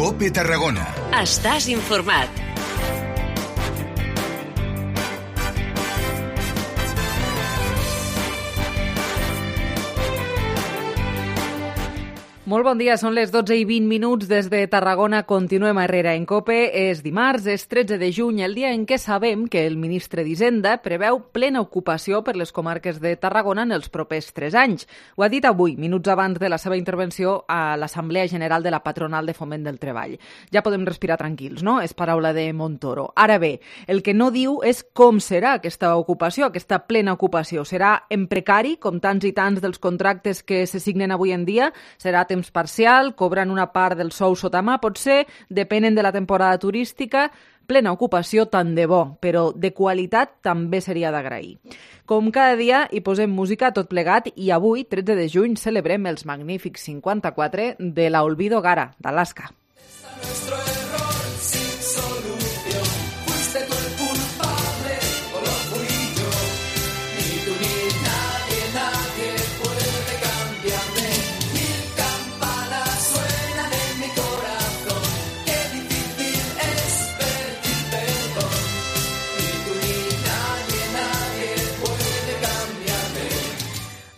COPE Tarragona. Estàs informat. Molt bon dia, són les 12:20 des de Tarragona. Continuem a Herrera en COPE. És dimarts, és 13 de juny, el dia en què sabem que el ministre d'Hisenda preveu plena ocupació per les comarques de Tarragona en els propers 3 anys. Ho ha dit avui, minuts abans de la seva intervenció a l'Assemblea General de la Patronal de Foment del Treball. Ja podem respirar tranquils, no? És paraula de Montoro. Ara bé, el que no diu és com serà aquesta ocupació, aquesta plena ocupació. Serà en precari, com tants i tants dels contractes que se signen avui en dia? Serà temps parcial, cobran una part del sou sota mà, potser, depenen de la temporada turística, plena ocupació tant de bo, però de qualitat també seria d'agrair. Com cada dia hi posem música a tot plegat i avui, 13 de juny, celebrem els magnífics 54 de la Olvido Gara, d'Alaska.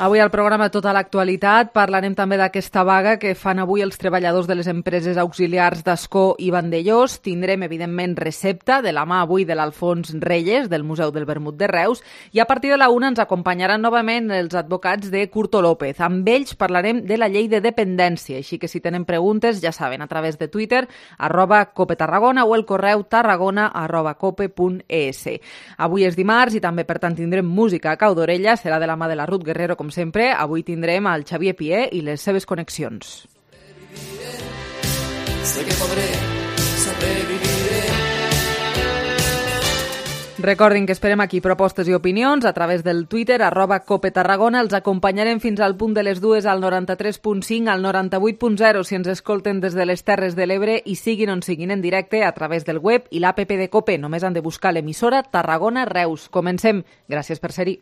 Avui al programa Tota l'actualitat parlarem també d'aquesta vaga que fan avui els treballadors de les empreses auxiliars d'Ascó i Vandellós. Tindrem, evidentment, recepta de la mà avui de l'Alfons Reyes, del Museu del Vermut de Reus, i a partir de la 1 ens acompanyaran novament els advocats de Curto López. Amb ells parlarem de la llei de dependència, així que si tenen preguntes, ja saben, a través de Twitter, @COPETarragona o el correu tarragona@cope.es. Avui és dimarts i també, per tant, tindrem música a cau d'orella, serà de la mà de la Ruth Guerrero, com sempre. Avui tindrem el Xavier Pié i les seves connexions. Sé que podré sobreviviré. Recordin que esperem aquí propostes i opinions a través del Twitter, @COPETarragona. Els acompanyarem fins al punt de les 2 al 93.5, al 98.0 si ens escolten des de les Terres de l'Ebre i siguin on siguin en directe a través del web i l'APP de COPE. Només han de buscar l'emissora Tarragona Reus. Comencem. Gràcies per ser-hi.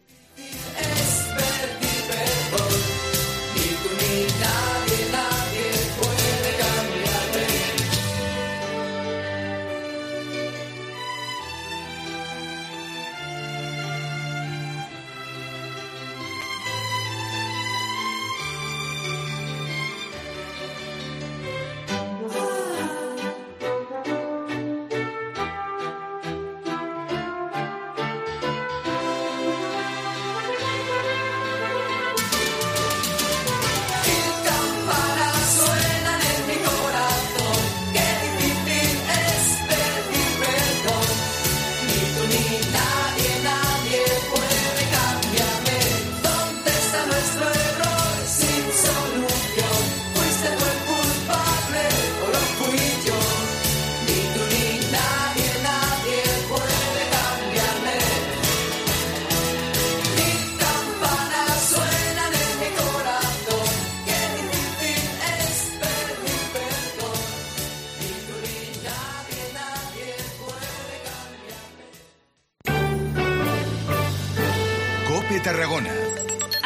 Tarragona.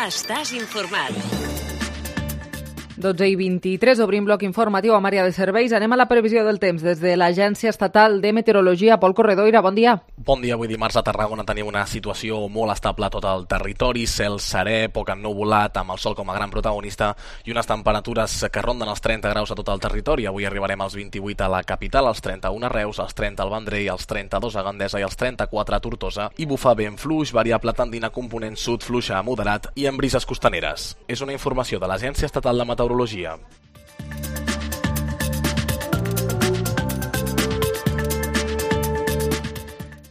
Estàs informat. 12:23, obrim bloc informatiu amb àrea de serveis. Anem a la previsió del temps des de l'Agència Estatal de Meteorologia. Pol Corredoira, bon dia. Bon dia, avui dimarts a Tarragona tenim una situació molt estable a tot el territori, cel serè, poc ennuvolat, amb el sol com a gran protagonista i unes temperatures que ronden els 30 graus a tot el territori. Avui arribarem als 28 a la capital, als 31 a Reus, als 30 al Vendrell, als 32 a Gandesa i als 34 a Tortosa, i bufa vent fluix, variable tendint a component sud, fluixa a moderat i amb brises costaneres. És una informació de l'Agència Estatal de Meteorologia.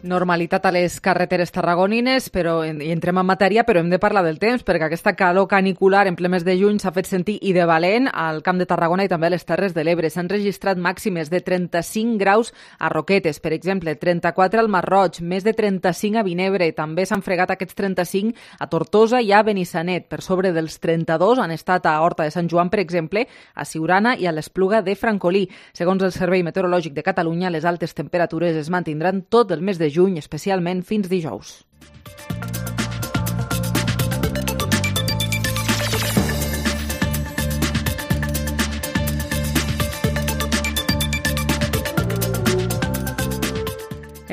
Normalitat a les carreteres tarragonines, però i entrem en matèria, però hem de parlar del temps, perquè aquesta calor canicular en ple mes de juny s'ha fet sentir i de valent al Camp de Tarragona i també a les Terres de l'Ebre. S'han registrat màximes de 35 graus a Roquetes, per exemple, 34 al Masroig, més de 35 a Vinebre. També s'han fregat aquests 35 a Tortosa i a Benissanet. Per sobre dels 32 han estat a Horta de Sant Joan, per exemple, a Siurana i a l'Espluga de Francolí. Segons el Servei Meteorològic de Catalunya, les altes temperatures es mantindran tot el mes de juny, especialment fins dijous.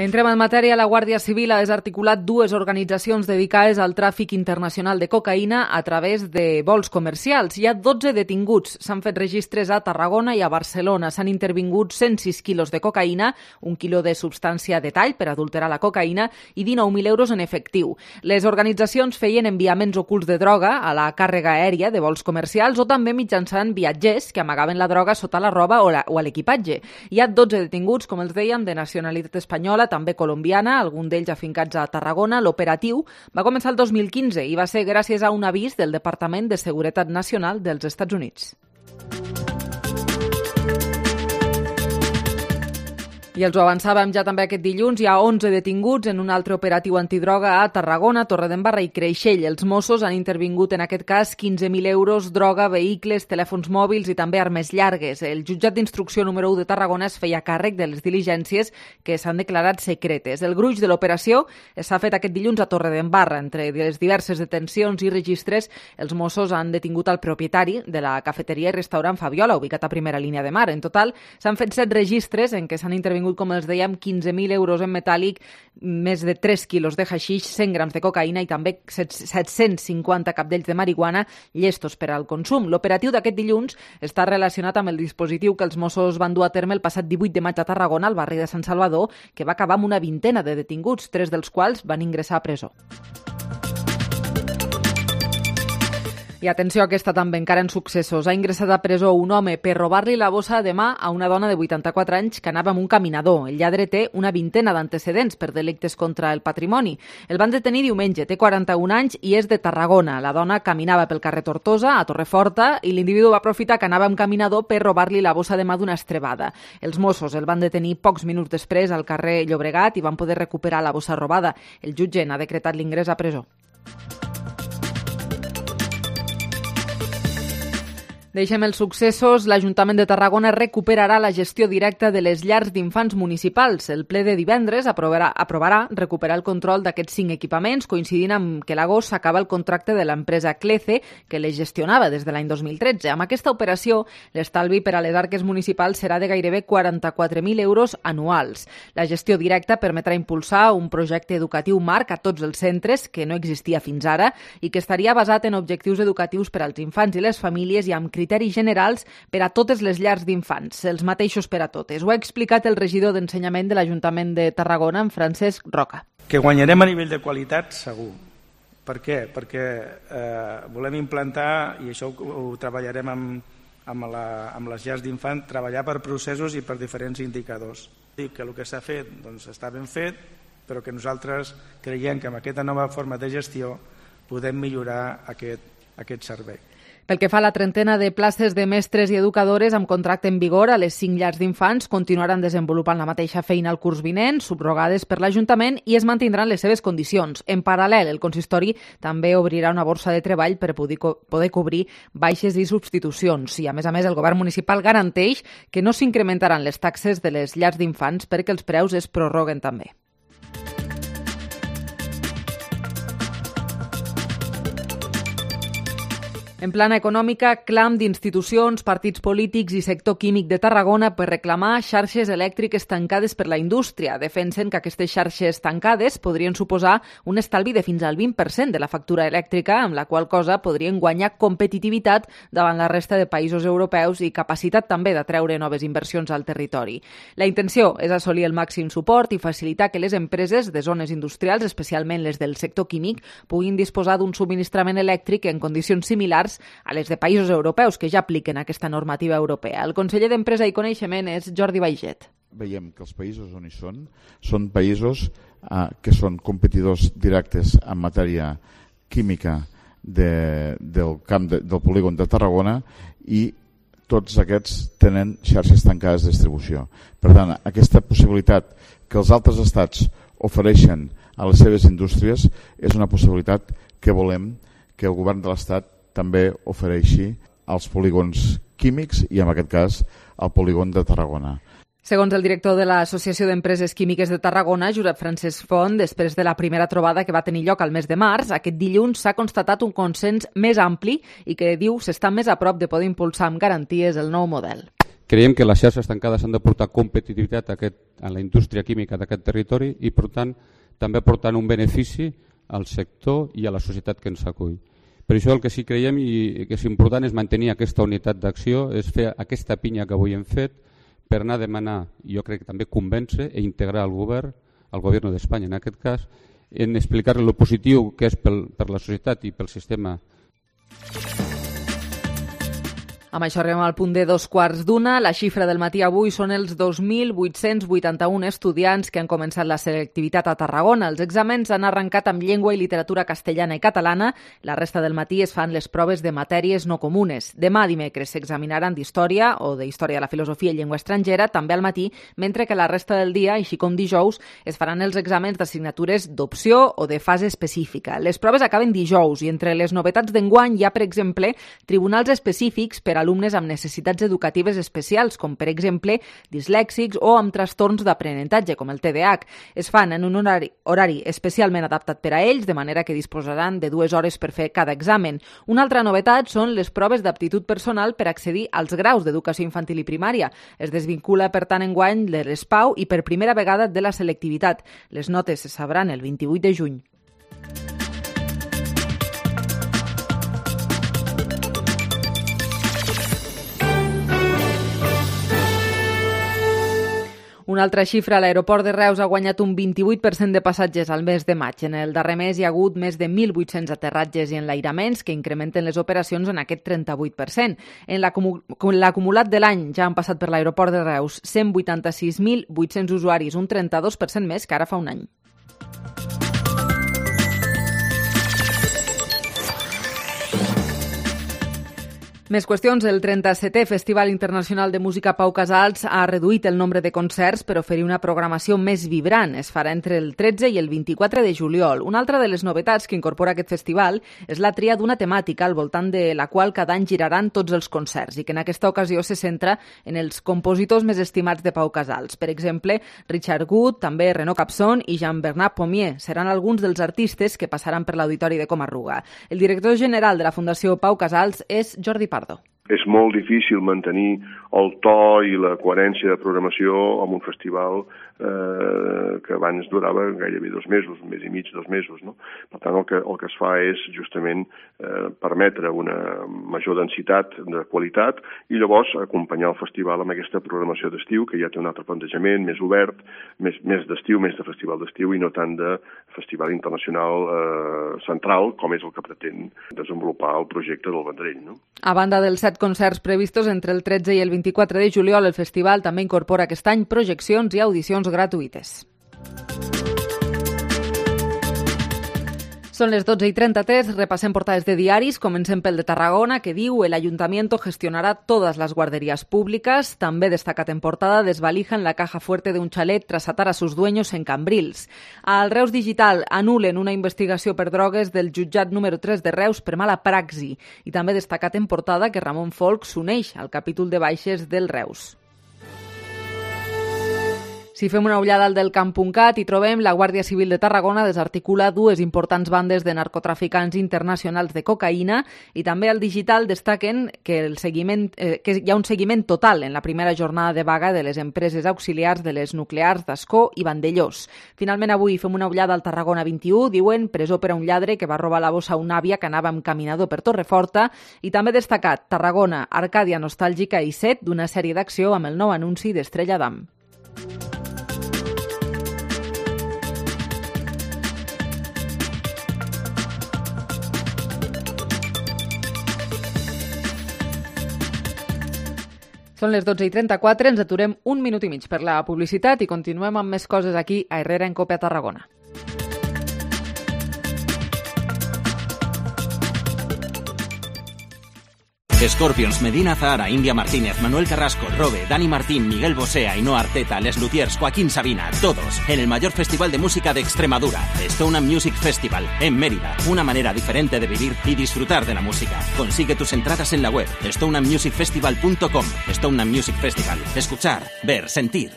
Entrem en matèria. La Guàrdia Civil ha desarticulat 2 organitzacions dedicades al tràfic internacional de cocaïna a través de vols comercials. Hi ha 12 detinguts. S'han fet registres a Tarragona i a Barcelona. S'han intervingut 106 quilos de cocaïna, 1 quilo de substància de tall per adulterar la cocaïna i 19.000 euros en efectiu. Les organitzacions feien enviaments ocults de droga a la càrrega aèria de vols comercials o també mitjançant viatgers que amagaven la droga sota la roba o a l'equipatge. Hi ha 12 detinguts, com els dèiem, de nacionalitat espanyola, també colombiana, algun d'ells afincats a Tarragona. L'operatiu va començar el 2015 i va ser gràcies a un avís del Departament de Seguretat Nacional dels Estats Units. I els ho avançàvem ja també aquest dilluns, hi ha 11 detinguts en un altre operatiu antidroga a Tarragona, Torredembarra i Creixell. Els Mossos han intervingut en aquest cas 15.000 euros, droga, vehicles, telèfons mòbils i també armes llargues. El jutjat d'instrucció número 1 de Tarragona es feia càrrec de les diligències que s'han declarat secretes. El gruix de l'operació s'ha fet aquest dilluns a Torredembarra. Entre les diverses detencions i registres, els Mossos han detingut el propietari de la cafeteria i restaurant Fabiola, ubicat a primera línia de mar. En total, s'han fet 7 registres en què s'han intervingut, com els dèiem, 15.000 euros en metàl·lic, més de 3 quilos de haixix, 100 grams de cocaïna i també 750 capdells de marihuana llestos per al consum. L'operatiu d'aquest dilluns està relacionat amb el dispositiu que els Mossos van dur a terme el passat 18 de maig a Tarragona, al barri de Sant Salvador, que va acabar amb una vintena de detinguts, 3 dels quals van ingressar a presó. I atenció a aquesta també, encara en successos. Ha ingressat a presó un home per robar-li la bossa de mà a una dona de 84 anys que anava amb un caminador. El lladre té una vintena d'antecedents per delictes contra el patrimoni. El van detenir diumenge, té 41 anys i és de Tarragona. La dona caminava pel carrer Tortosa, a Torreforta, i l'individu va aprofitar que anava amb caminador per robar-li la bossa de mà d'una estrebada. Els Mossos el van detenir pocs minuts després al carrer Llobregat i van poder recuperar la bossa robada. El jutge n'ha decretat l'ingrés a presó. Deixem els successos. L'Ajuntament de Tarragona recuperarà la gestió directa de les llars d'infants municipals. El ple de divendres aprovarà recuperar el control d'aquests 5 equipaments, coincidint amb que l'agost s'acaba el contracte de l'empresa Clece, que les gestionava des de l'any 2013. Amb aquesta operació, l'estalvi per a les arques municipals serà de gairebé 44.000 euros anuals. La gestió directa permetrà impulsar un projecte educatiu marc a tots els centres, que no existia fins ara, i que estaria basat en objectius educatius per als infants i les famílies i amb criteris generals per a totes les llars d'infants, els mateixos per a totes. Ho ha explicat el regidor d'Ensenyament de l'Ajuntament de Tarragona, en Francesc Roca. Que guanyarem a nivell de qualitat, segur. Per què? Perquè volem implantar, i això ho treballarem amb les llars d'infants, treballar per processos i per diferents indicadors. Dic que el que s'ha fet està ben fet, però que nosaltres creiem que amb aquesta nova forma de gestió podem millorar aquest servei. Pel que fa a la trentena de places de mestres i educadores amb contracte en vigor a les 5 llars d'infants, continuaran desenvolupant la mateixa feina al curs vinent, subrogades per l'Ajuntament, i es mantindran les seves condicions. En paral·lel, el consistori també obrirà una borsa de treball per poder cobrir baixes i substitucions. I, a més, el govern municipal garanteix que no s'incrementaran les taxes de les llars d'infants perquè els preus es prorroguen també. En plana econòmica, clam d'institucions, partits polítics i sector químic de Tarragona per reclamar xarxes elèctriques tancades per la indústria. Defensen que aquestes xarxes tancades podrien suposar un estalvi de fins al 20% de la factura elèctrica, amb la qual cosa podrien guanyar competitivitat davant la resta de països europeus i capacitat també d'atreure noves inversions al territori. La intenció és assolir el màxim suport i facilitar que les empreses de zones industrials, especialment les del sector químic, puguin disposar d'un subministrament elèctric en condicions similars a les de països europeus que ja apliquen aquesta normativa europea. El conseller d'Empresa i Coneixement és Jordi Baiget. Veiem que els països on hi són països que són competidors directes en matèria química del camp del polígon de Tarragona i tots aquests tenen xarxes tancades de distribució. Per tant, aquesta possibilitat que els altres estats ofereixen a les seves indústries és una possibilitat que volem que el govern de l'Estat també ofereixi als polígons químics i, en aquest cas, al polígon de Tarragona. Segons el director de l'Associació d'Empreses Químiques de Tarragona, Josep Francesc Font, després de la primera trobada que va tenir lloc al mes de març, aquest dilluns s'ha constatat un consens més ampli i que, diu, s'està més a prop de poder impulsar amb garanties el nou model. Creiem que les xarxes tancades han de portar competitivitat a la indústria química d'aquest territori i, per tant, també portant un benefici al sector i a la societat que ens acull. Per això el que sí creiem i que és important és mantenir aquesta unitat d'acció, és fer aquesta pinya que avui hem fet per anar a demanar, jo crec que també convèncer i integrar el govern, el govern d'Espanya en aquest cas, en explicar-li el positiu que és per la societat i pel sistema. Amb això arribem al punt de 2:15. La xifra del matí avui són els 2.881 estudiants que han començat la selectivitat a Tarragona. Els exàmens han arrencat amb llengua i literatura castellana i catalana. La resta del matí es fan les proves de matèries no comunes. Demà, dimecres, s'examinaran d'història o d'història de la filosofia i llengua estrangera, també al matí, mentre que la resta del dia, així com dijous, es faran els exàmens d'assignatures d'opció o de fase específica. Les proves acaben dijous i entre les novetats d'enguany hi ha, per exemple, tribunals específics per a alumnes amb necessitats educatives especials, com per exemple dislèxics o amb trastorns d'aprenentatge, com el TDAH. Es fan en un horari especialment adaptat per a ells, de manera que disposaran de 2 hores per fer cada examen. Una altra novetat són les proves d'aptitud personal per accedir als graus d'educació infantil i primària. Es desvincula, per tant, enguany de l'ESPAU i per primera vegada de la selectivitat. Les notes se sabran el 28 de juny. Una altra xifra, l'aeroport de Reus ha guanyat un 28% de passatgers al mes de maig. En el darrer mes hi ha hagut més de 1.800 aterratges i enlairaments que incrementen les operacions en aquest 38%. En l'acumulat de l'any ja han passat per l'aeroport de Reus 186.800 usuaris, un 32% més que ara fa un any. Més qüestions. El 37è Festival Internacional de Música Pau Casals ha reduït el nombre de concerts per oferir una programació més vibrant. Es farà entre el 13 i el 24 de juliol. Una altra de les novetats que incorpora aquest festival és la tria d'una temàtica al voltant de la qual cada any giraran tots els concerts i que en aquesta ocasió se centra en els compositors més estimats de Pau Casals. Per exemple, Richard Good, també Renaud Capson i Jean-Bernard Pommier seran alguns dels artistes que passaran per l'Auditori de Comarruga. El director general de la Fundació Pau Casals és Jordi Pardo. És molt difícil mantenir el to i la coherència de programació en un festival que abans durava gairebé 2 mesos, un mes i mig, 2 mesos. No? Per tant, el que es fa és justament permetre una major densitat de qualitat i llavors acompanyar el festival amb aquesta programació d'estiu, que ja té un altre plantejament, més obert, més d'estiu, més de festival d'estiu i no tant de festival internacional central, com és el que pretén desenvolupar el projecte del Vendrell. No? A banda dels 7 concerts previstos entre el 13 i el 24 de juliol, el festival també incorpora aquest any projeccions i audicions gratuïtes. Són les 12:33, repassem portades de diaris. Comencem pel de Tarragona, que diu: el ayuntamiento gestionará todas las guarderías públicas. També destacat en portada: desvalijan la caja fuerte de un chalet tras atar a sus dueños en Cambrils. Al Reus Digital anulen una investigació per drogues del jutjat número 3 de Reus per mala praxi. I també destacat en portada que Ramon Folch s'uneix al capítol de baixes del Reus. Si fem una ullada al del Camp.cat hi trobem la Guàrdia Civil de Tarragona desarticula 2 importants bandes de narcotraficants internacionals de cocaïna i també al digital destaquen que hi ha un seguiment total en la primera jornada de vaga de les empreses auxiliars de les nuclears d'Ascó i Vandellós. Finalment avui fem una ullada al Tarragona 21, diuen presó per a un lladre que va robar la bossa a una àvia que anava amb caminador per Torreforta i també destacat Tarragona, Arcàdia nostàlgica i set d'una sèrie d'acció amb el nou anunci d'Estrella Damm. Són les 12:34, ens aturem un minut i mig per la publicitat i continuem amb més coses aquí a Herrera en Cope a Tarragona. Scorpions, Medina Zahara, India Martínez, Manuel Carrasco, Robe, Dani Martín, Miguel Bosé, Ainhoa Arteta, Les Luthiers, Joaquín Sabina, todos en el mayor festival de música de Extremadura, Stone Music Festival, en Mérida. Una manera diferente de vivir y disfrutar de la música. Consigue tus entradas en la web stoneandmusicfestival.com. Stone Music Festival. Escuchar, ver, sentir.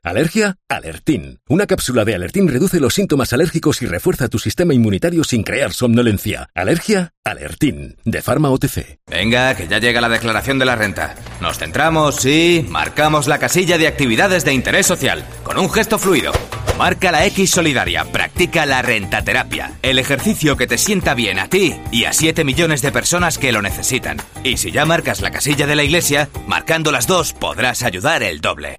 ¿Alergia? Alertín. Una cápsula de Alertín reduce los síntomas alérgicos y refuerza tu sistema inmunitario sin crear somnolencia. ¿Alergia? Alertín. De Pharma OTC. Venga, que ya llega la declaración de la renta. Nos centramos, sí, marcamos la casilla de actividades de interés social, con un gesto fluido. Marca la X solidaria, practica la rentaterapia, el ejercicio que te sienta bien a ti y a 7 millones de personas que lo necesitan. Y si ya marcas la casilla de la iglesia, marcando las dos podrás ayudar el doble.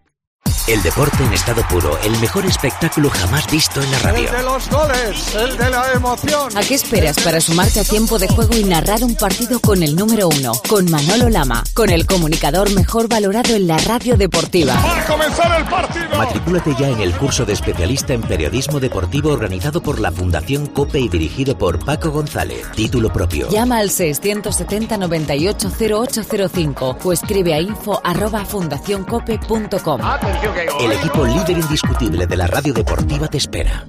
El deporte en estado puro, el mejor espectáculo jamás visto en la radio. El de los goles, el de la emoción. ¿A qué esperas para sumarte a tiempo de juego y narrar un partido con el número 1? Con Manolo Lama, con el comunicador mejor valorado en la radio deportiva. ¡Va a comenzar el partido! Matrículate ya en el curso de especialista en periodismo deportivo organizado por la Fundación COPE y dirigido por Paco González. Título propio. Llama al 670 98 0805 o escribe a info@fundacioncope.com. El equipo líder indiscutible de la radio deportiva te espera.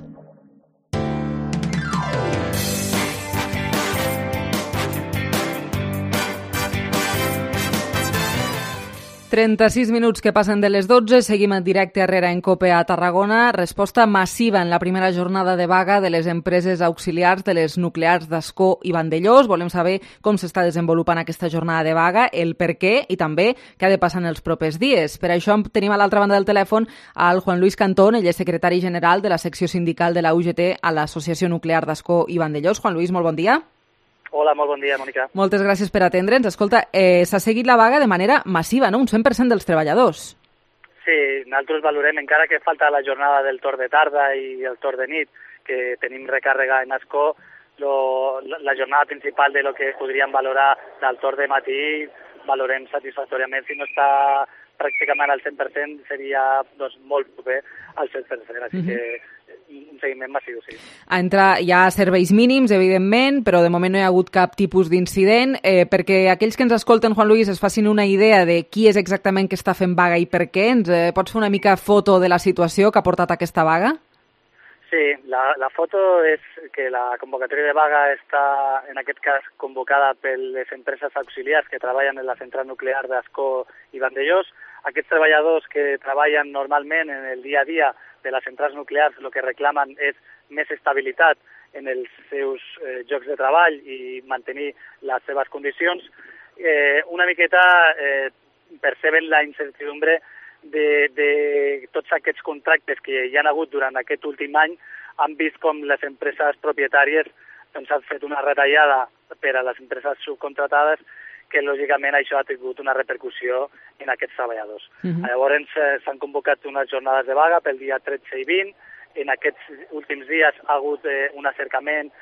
36 minuts que passen de les 12, seguim en directe arrere en COPE a Tarragona. Resposta massiva en la primera jornada de vaga de les empreses auxiliars de les nuclears d'Ascó i Vandellós. Volem saber com s'està desenvolupant aquesta jornada de vaga, el per què i també què ha de passar en els propers dies. Per això tenim a l'altra banda del telèfon al Juan Luis Cantón, ell és secretari general de la secció sindical de la UGT a l'Associació Nuclear d'Ascó i Vandellós. Juan Luis, molt bon dia. Hola, molt bon dia, Mònica. Moltes gràcies per atendre'ns. Escolta, s'ha seguit la vaga de manera massiva, no? Un 100% dels treballadors. Sí, nosaltres valorem, encara que falta la jornada del torn de tarda i el torn de nit, que tenim recàrrega en Ascó, la jornada principal de lo que podríem valorar del torn de matí, valorem satisfactòriament. Si no està pràcticament al 100%, seria molt proper al 100%, així que un seguiment massiu, sí. Hi ha serveis mínims, evidentment, però de moment no hi ha hagut cap tipus d'incident. Perquè aquells que ens escolten, Juan Luis, es facin una idea de qui és exactament que està fent vaga i per què, ens pots fer una mica foto de la situació que ha portat aquesta vaga? Sí, la foto és que la convocatòria de vaga està, en aquest cas, convocada per les empreses auxiliars que treballen en la central nuclear d'Ascó i Vandellós. Aquests treballadors que treballen normalment en el dia a dia de les centrals nuclears el que reclamen és més estabilitat en els seus llocs de treball i mantenir les seves condicions. Una miqueta perceben la incertidumbre de tots aquests contractes que hi ha hagut durant aquest últim any. Han vist com les empreses propietàries han fet una retallada per a les empreses subcontratades, que lògicament això ha tingut una repercussió en aquests treballadors. Llavors s'han convocat unes jornades de vaga pel dia 13 i 20. En aquests últims dies ha hagut un acercament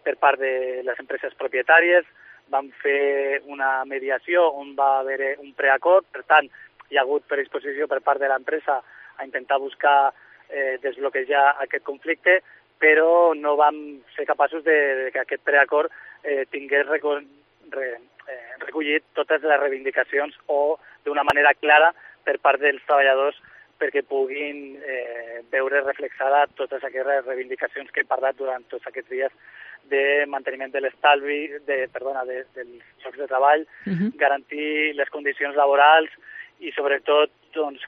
per part de les empreses propietàries. Van fer una mediació on va haver un preacord, per tant, hi ha hagut predisposició per part de l'empresa a intentar buscar desbloquejar aquest conflicte, però no vam ser capaços que aquest preacord tingués recollit totes les reivindicacions o d'una manera clara per part dels treballadors perquè puguin veure reflexada totes aquestes reivindicacions que he parlat durant tots aquests dies de manteniment de l'estalvi, dels llocs de treball, garantir les condicions laborals i sobretot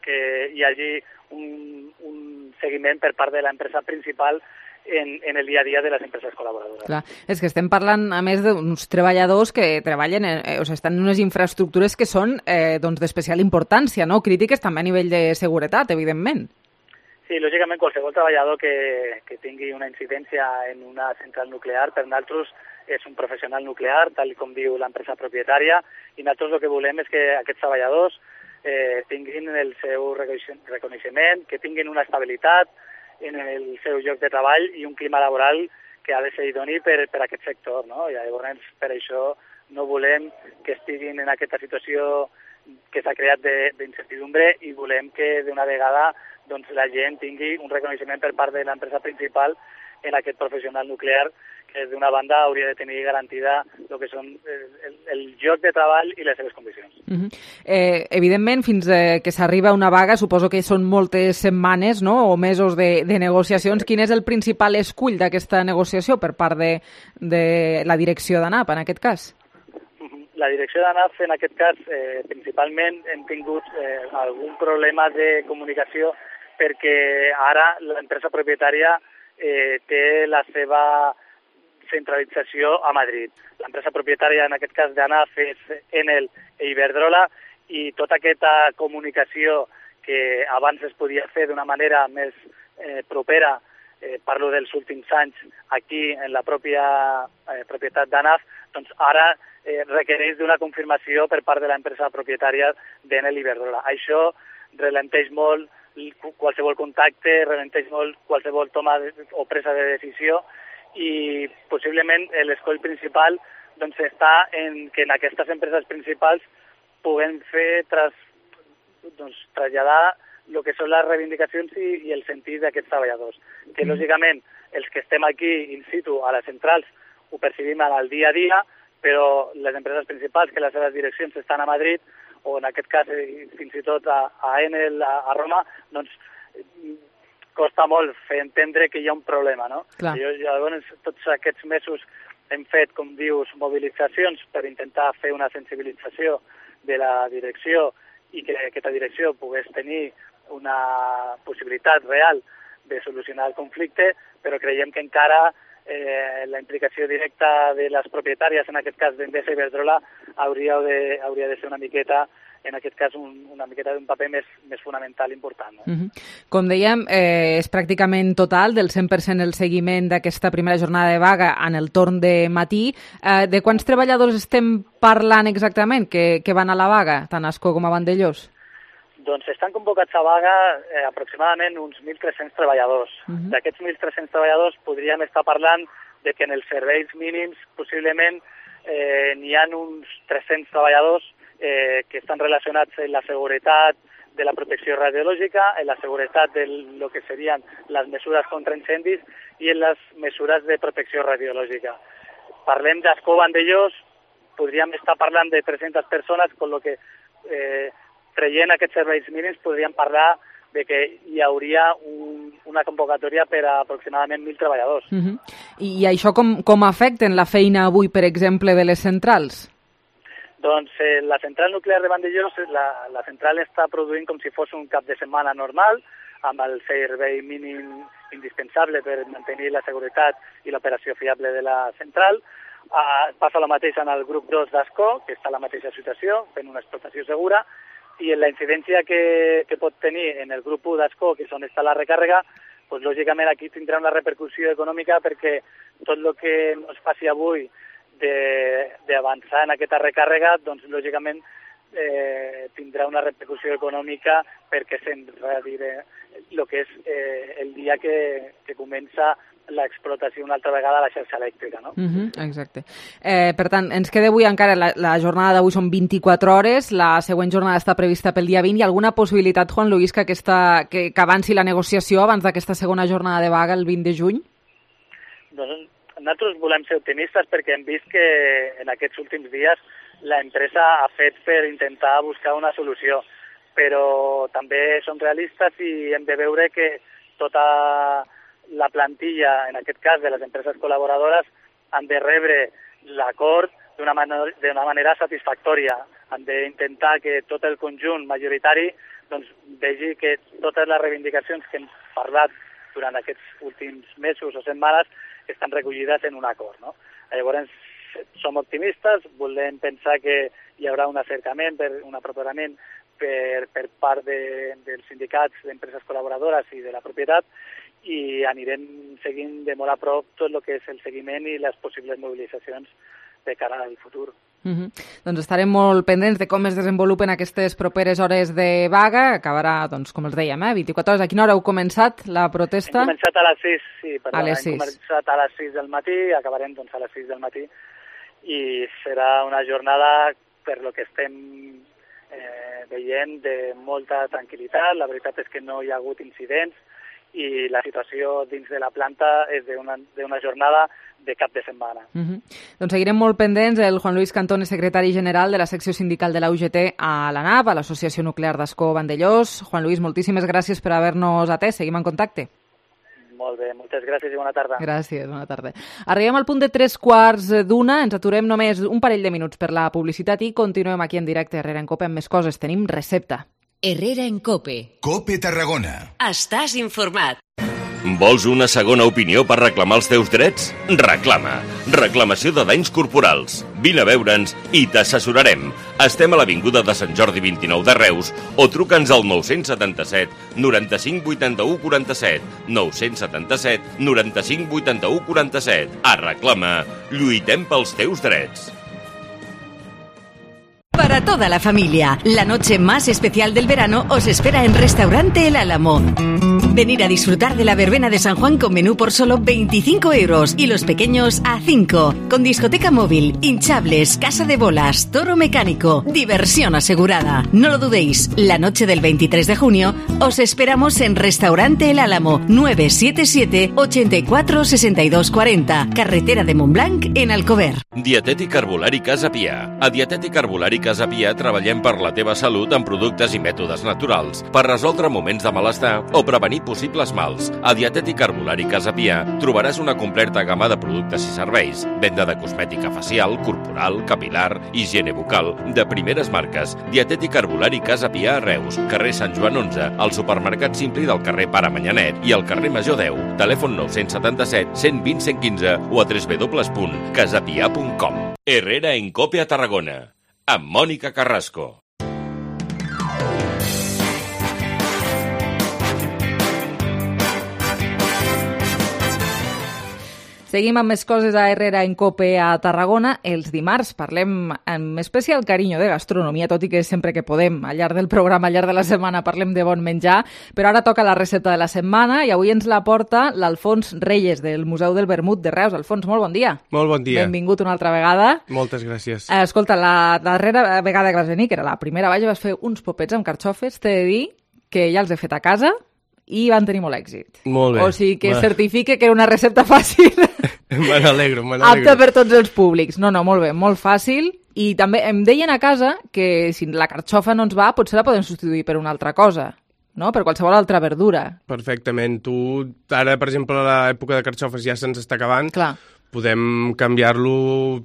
que hi hagi un seguiment per part de l'empresa principal en el dia a dia de les empreses col·laboradores. Clar, és que estem parlant, a més, d'uns treballadors que treballen, estan en unes infraestructures que són d'especial importància, no? Crítiques també a nivell de seguretat, evidentment. Sí, lògicament qualsevol treballador que tingui una incidència en una central nuclear, per nosaltres és un professional nuclear, tal com diu l'empresa propietària, i nosaltres el que volem és que aquests treballadors tinguin el seu reconeixement, que tinguin una estabilitat en el seu lloc de treball i un clima laboral que ha de ser idoni per a aquest sector, no? I llavors per això no volem que estiguin en aquesta situació que s'ha creat d'incertidumbre i volem que d'una vegada la gent tingui un reconeixement per part de l'empresa principal en aquest professional nuclear que d'una banda hauria de tenir garantida el que són el lloc de treball i les seves condicions. Evidentment, fins que s'arriba a una vaga, suposo que són moltes setmanes, no?, o mesos de negociacions. Quin és el principal escull d'aquesta negociació per part de la direcció d'ANAP, en aquest cas? la direcció d'ANAF, en aquest cas, principalment hem tingut algun problema de comunicació perquè ara l'empresa propietària té la seva centralització a Madrid. L'empresa propietària, en aquest cas d'ANAF, és Enel i Iberdrola, i tota aquesta comunicació que abans es podia fer d'una manera més propera, parlo dels últims anys, aquí en la pròpia propietat d'ANAF, doncs ara requereix d'una confirmació per part de l'empresa propietària d'Enel i Iberdrola. Això ralenteix molt qualsevol contacte, ralenteix molt qualsevol toma o presa de decisió, i possiblement l'escoll principal doncs, està en que en aquestes empreses principals puguem fer traslladar el que són les reivindicacions i el sentit d'aquests treballadors. Que, lògicament, els que estem aquí in situ a les centrals ho percibim al dia a dia, però les empreses principals, que les seves direccions estan a Madrid, o en aquest cas fins i tot a Enel, a Roma, doncs costa molt fer entendre que hi ha un problema, no? Llavors, tots aquests mesos hem fet, com dius, mobilitzacions per intentar fer una sensibilització de la direcció i que aquesta direcció pogués tenir una possibilitat real de solucionar el conflicte, però creiem que encara la implicació directa de les propietàries, en aquest cas d'Endesa i Iberdrola, hauria de ser una miqueta, en aquest cas una miqueta d'un paper més fonamental i important. No? Com dèiem, és pràcticament total, del 100% el seguiment d'aquesta primera jornada de vaga en el torn de matí. De quants treballadors estem parlant exactament que van a la vaga, tant a Ascó com a Vandellós? Doncs estan convocats a vaga aproximadament uns 1.300 treballadors. D'aquests 1.300 treballadors podríem estar parlant de que en els serveis mínims possiblement n'hi ha uns 300 treballadors que estan relacionats amb la seguretat de la protecció radiològica, en la seguretat de lo que serien les mesures contra incendis i en les mesures de protecció radiològica. Parlem d'Ascó Vandellós, podríem estar parlant de 300 persones, amb el que traient aquests serveis mínims podríem parlar de que hi hauria una convocatòria per a aproximadament 1.000 treballadors. I això com afecten la feina avui, per exemple, de les centrals? Doncs la central nuclear de Vandellós, la central està produint com si fos un cap de setmana normal, amb el servei mínim indispensable per mantenir la seguretat i l'operació fiable de la central. Passa el mateix en el grup 2 d'Ascó, que està en la mateixa situació, fent una explotació segura, i en la incidència que pot tenir en el grup 1 d'Ascó, que és on està la recàrrega, doncs, lògicament aquí tindrà una repercussió econòmica perquè tot el que no es faci avui d'avançar en aquesta recàrrega, doncs lògicament tindrà una repercussió econòmica perquè s'enredirà el que és el dia que comença l'explotació una altra vegada a la xarxa elèctrica, no? Exacte. Per tant, ens queda avui encara, la jornada d'avui són 24 hores, la següent jornada està prevista pel dia 20. Hi ha alguna possibilitat, Juan Luis, que avanci la negociació abans d'aquesta segona jornada de vaga el 20 de juny? Doncs nosaltres volem ser optimistes perquè hem vist que en aquests últims dies l'empresa ha fet per intentar buscar una solució, però també som realistes i hem de veure que tota la plantilla, en aquest cas de les empreses col·laboradores, han de rebre l'acord d'una manera satisfactòria. Han d'intentar que tot el conjunt majoritari doncs, vegi que totes les reivindicacions que hem parlat durant aquests últims mesos o setmanes estan recollides en un acord. No? Llavors, som optimistes, volem pensar que hi haurà un acercament, un aproperament per part dels sindicats d'empreses col·laboradores i de la propietat, i anirem seguint de molt a prop tot el que és el seguiment i les possibles mobilitzacions de cara al futur. Doncs estarem molt pendents de com es desenvolupen aquestes properes hores de vaga. Acabarà, doncs, com els dèiem, 24 hores. A quina hora heu començat la protesta? Hem començat a les 6, sí, perdó, hem començat a les 6 del matí, acabarem doncs, a les 6 del matí, i serà una jornada, per lo que estem veient, de molta tranquil·litat. La veritat és que no hi ha hagut incidents i la situació dins de la planta és d'una jornada de cap de setmana. Doncs seguirem molt pendents. El Juan Luis Cantón és secretari general de la secció sindical de la UGT a l'ANAP, a l'Associació Nuclear d'Ascó Vandellós. Juan Luis, moltíssimes gràcies per haver-nos atès. Seguim en contacte. Molt Molt bé, moltes gràcies i bona tarda. Gràcies, bona tarda. Arribem al punt de 3:15, ens aturem només un parell de minuts per la publicitat i continuem aquí en directe a Herrera en Cope amb més coses. Tenim recepta. Herrera en Cope. Cope Tarragona. Estàs informat. Vols una segona opinió per reclamar els teus drets? Reclama. Reclamació de danys corporals. Vine a veure'ns i t'assessorarem. Estem a l'Avinguda de Sant Jordi 29 de Reus o truca'ns al 977 95 81 47. 977 95 81 47. A Reclama. Lluitem pels teus drets. Para toda la familia, la noche más especial del verano os espera en Restaurante El Álamo. Venir a disfrutar de la verbena de San Juan con menú por solo 25 € y los pequeños a 5, con discoteca móvil, hinchables, casa de bolas, toro mecánico, diversión asegurada. No lo dudéis, la noche del 23 de junio os esperamos en Restaurante El Álamo, 977 84 62 40, carretera de Montblanc, en Alcover. Dietètic Herbolari Casa Pia. A Dietètic Herbolari Casa Pia treballem per la teva salut amb productes i mètodes naturals, per resoldre moments de malestar o prevenir possibles mals. A Dietètic Herbolari Casa Pia trobaràs una completa gamma de productes i serveis, venda de cosmètica facial, corporal, capilar, higiene bucal, de primeres marques. Dietètic Herbolari Casa Pia a Reus, carrer Sant Joan 11, al supermercat Simpli del carrer Pare Manyanet i al carrer Major 10. Telèfon 977 120 115 o a www.casapia.com. Herrera en Cope a Tarragona, amb Mònica Carrasco. Seguim amb més coses a Herrera en Cope a Tarragona. Els dimarts parlem amb especial carinyo de gastronomia, tot i que sempre que podem, al llarg del programa, al llarg de la setmana, parlem de bon menjar. Però ara toca la recepta de la setmana i avui ens la porta l'Alfons Reyes, del Museu del Vermut de Reus. Alfons, molt bon dia. Molt bon dia. Benvingut una altra vegada. Moltes gràcies. Escolta, la darrera vegada que vas venir, que era la primera, vas fer uns popets amb carxofes. T'he de dir que ja els he fet a casa i van tenir molt èxit. Molt bé. O sigui que certifique que era una recepta fàcil. Me n'alegro. Apte per tots els públics. No, molt bé, molt fàcil. I també em deien a casa que si la carxofa no ens va, potser la podem substituir per una altra cosa, no? Per qualsevol altra verdura. Perfectament. Tu, ara, per exemple, l'època de carxofes ja se'ns està acabant. Clar. Podem canviar-lo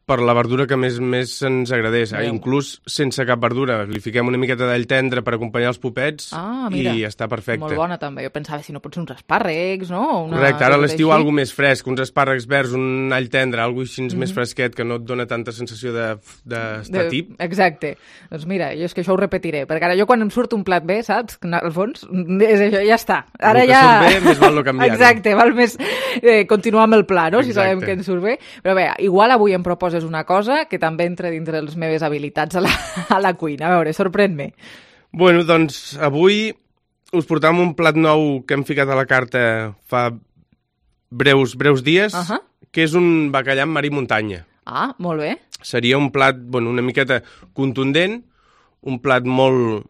per la verdura que més ens agradés. Inclús sense cap verdura. Li fiquem una miqueta d'all tendre per acompanyar els popets i està perfecte. Molt bona també. Jo pensava, si no pot ser uns espàrrecs, no? Correcte. Ara a l'estiu algo més fresc, uns espàrrecs verds, un all tendre, algo així més fresquet que no et dona tanta sensació d'estar tip. Exacte. Doncs mira, jo és que això ho repetiré, perquè ara jo quan em surt un plat bé, saps? Al fons, és això, ja està. Ara el que surt bé, més val no canviar. Exacte, val més continuar amb el pla, no? Si sabem que ens surt bé. Però bé, igual avui em proposes una cosa que també entra dintre les meves habilitats a la cuina. A veure, sorprèn-me. Bueno, doncs avui us portam un plat nou que hem ficat a la carta fa breus dies, que és un bacallà amb mar i muntanya. Ah, molt bé. Seria un plat, una miqueta contundent, un plat molt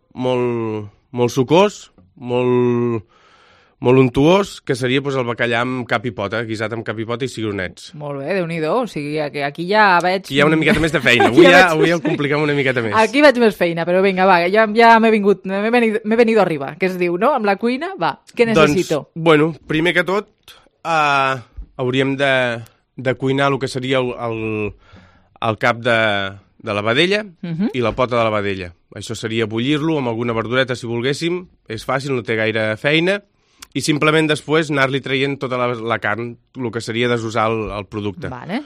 sucós, molt untuós, que seria el bacallà amb cap i pota, guisat amb cap i pota i cigronets. Molt bé, Déu-n'hi-do. O sigui, que aquí ja veig... Hi ha una miqueta més de feina. Avui el compliquem una miqueta més. Aquí veig més feina, però vinga, va, ja m'he venido arriba, que es diu, no? Amb la cuina, va, què necessito? Doncs, primer que tot, hauríem de cuinar el que seria el cap de la vedella i la pota de la vedella. Això seria bullir-lo amb alguna verdureta, si volguéssim. És fàcil, no té gaire feina. I simplement després anar-li traient tota la carn, el que seria desusar el producte. Vale.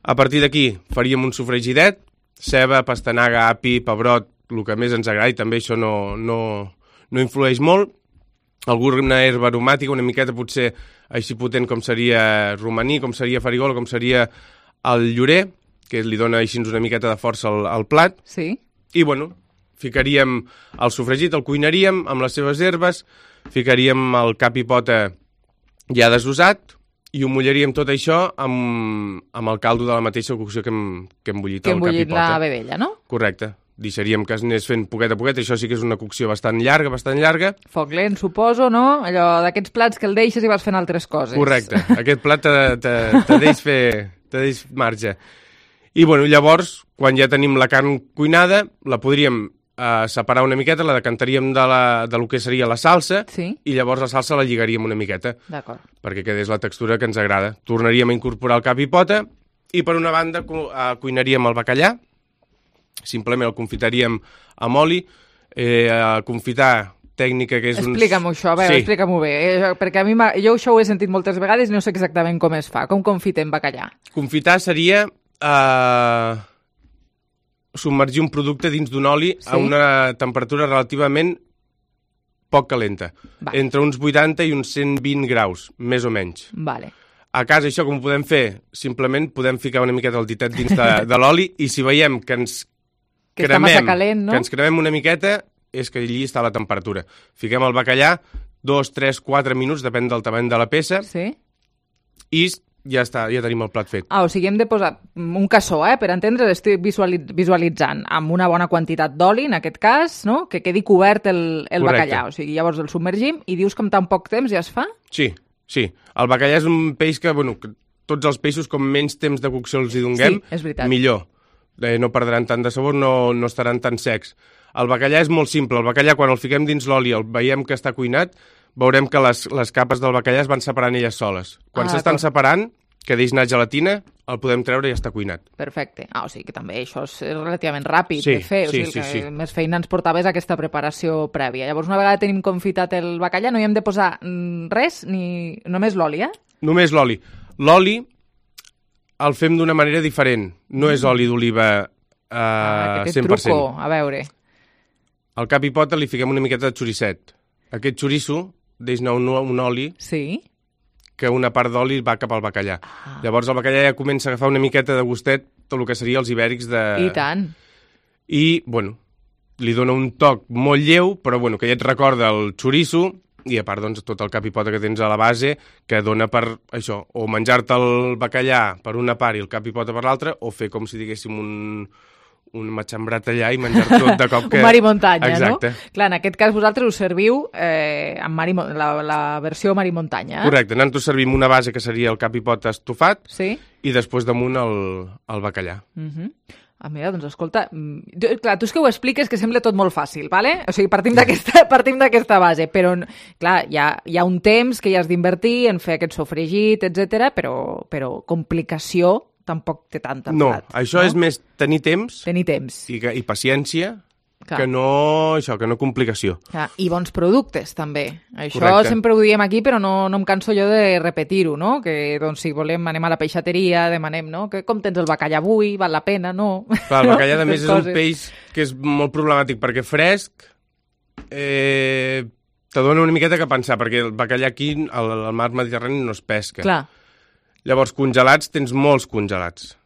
A partir d'aquí faríem un sofregidet, ceba, pastanaga, api, pebrot, el que més ens agradi, també això no influeix molt. Alguna herba aromàtica, una miqueta potser així potent com seria romaní, com seria farigola, com seria el llorer, que li dona així una miqueta de força al plat. Sí. I, ficaríem el sofregit, el cuinaríem amb les seves herbes, ficaríem el cap i pota ja desusat i ho mullaríem tot això amb el caldo de la mateixa cocció que hem bullit el cap i pota. Que hem bullit la vedella, no? Correcte. Deixaríem que es anés fent poquet a poquet. Això sí que és una cocció bastant llarga. Foc lent, suposo, no? Allò d'aquests plats que el deixes i vas fent altres coses. Correcte. Aquest plat te deix marge. I, llavors, quan ja tenim la carn cuinada, la podríem separar una miqueta, la decantaríem de lo que seria la salsa, i llavors la salsa la lligaríem una miqueta, perquè quedés la textura que ens agrada. Tornaríem a incorporar el cap i pota, i per una banda cuinaríem el bacallà, simplement el confitaríem amb oli, confitar tècnica que és Explica-m'ho això, a veure, explica-m'ho bé, perquè a mi jo això ho he sentit moltes vegades i no sé exactament com es fa, com confitem bacallà. Confitar seria submergir un producte dins d'un oli a una temperatura relativament poc calenta, entre uns 80 i uns 120 graus, més o menys. A casa això com ho podem fer? Simplement podem ficar una miqueta el ditet dins de l'oli i si veiem que ens cremem una miqueta és que allí està la temperatura. Fiquem el bacallà 2, 3, 4 minuts, depèn del tamany de la peça, i ja està, ja tenim el plat fet. O sigui, hem de posar un cassó, per entendre, l'estic visualitzant, amb una bona quantitat d'oli, en aquest cas, no? Que quedi cobert el bacallà. O sigui, llavors el submergim i dius que en tan poc temps ja es fa? Sí. El bacallà és un peix que, tots els peixos, com menys temps de cocció els hi donguem, millor. No perdran tant de sabor, no estaran tan secs. El bacallà és molt simple. El bacallà, quan el fiquem dins l'oli, el veiem que està cuinat, veurem que les capes del bacallà es van separant elles soles. Quan s'estan separant, que deix anar gelatina, el podem treure i ja està cuinat. Perfecte. O sigui que també això és relativament ràpid de fer. O sigui que més feina ens portava és aquesta preparació prèvia. Llavors, una vegada tenim confitat el bacallà, no hi hem de posar res, ni només l'oli, Només l'oli. L'oli el fem d'una manera diferent. No és oli d'oliva 100%. Aquest truco, a veure. Al cap i pota li fiquem una miqueta de xoricet. Aquest xoriço deix anar un oli que una part d'oli va cap al bacallà. Llavors el bacallà ja comença a agafar una miqueta de gustet tot el que seria els ibèrics de... I tant. I, li dona un toc molt lleu, però, que ja et recorda el xoriço i, a part, tot el cap i pota que tens a la base que dona per això, o menjar-te el bacallà per una part i el cap i pota per l'altra, o fer com si diguéssim un matxembrat allà i menjar tot de cop que... Un mar i muntanya, exacte. No? Clar, en aquest cas vosaltres us serviu amb la versió mar i muntanya. Correcte, nosaltres servim una base que seria el cap i pota estofat i després damunt el bacallà. Mira, doncs escolta, clar, tu és que ho expliques que sembla tot molt fàcil, ¿vale? O sigui, partim d'aquesta base, però clar, hi ha un temps que hi has d'invertir en fer aquest sofregit, etc, però complicació tampoc té tanta plat. No, això és més tenir temps i paciència que no complicació. I bons productes, també. Això sempre ho diem aquí, però no em canso jo de repetir-ho, no? Que, doncs, si volem, anem a la peixateria, demanem, no? Que com tens el bacallà avui, val la pena, no? Clar, el bacallà, a més, és un peix que és molt problemàtic, perquè fresc te dona una miqueta que pensar, perquè el bacallà aquí, al mar Mediterrani, no es pesca. Clar. Llavors, congelats, tens molts congelats.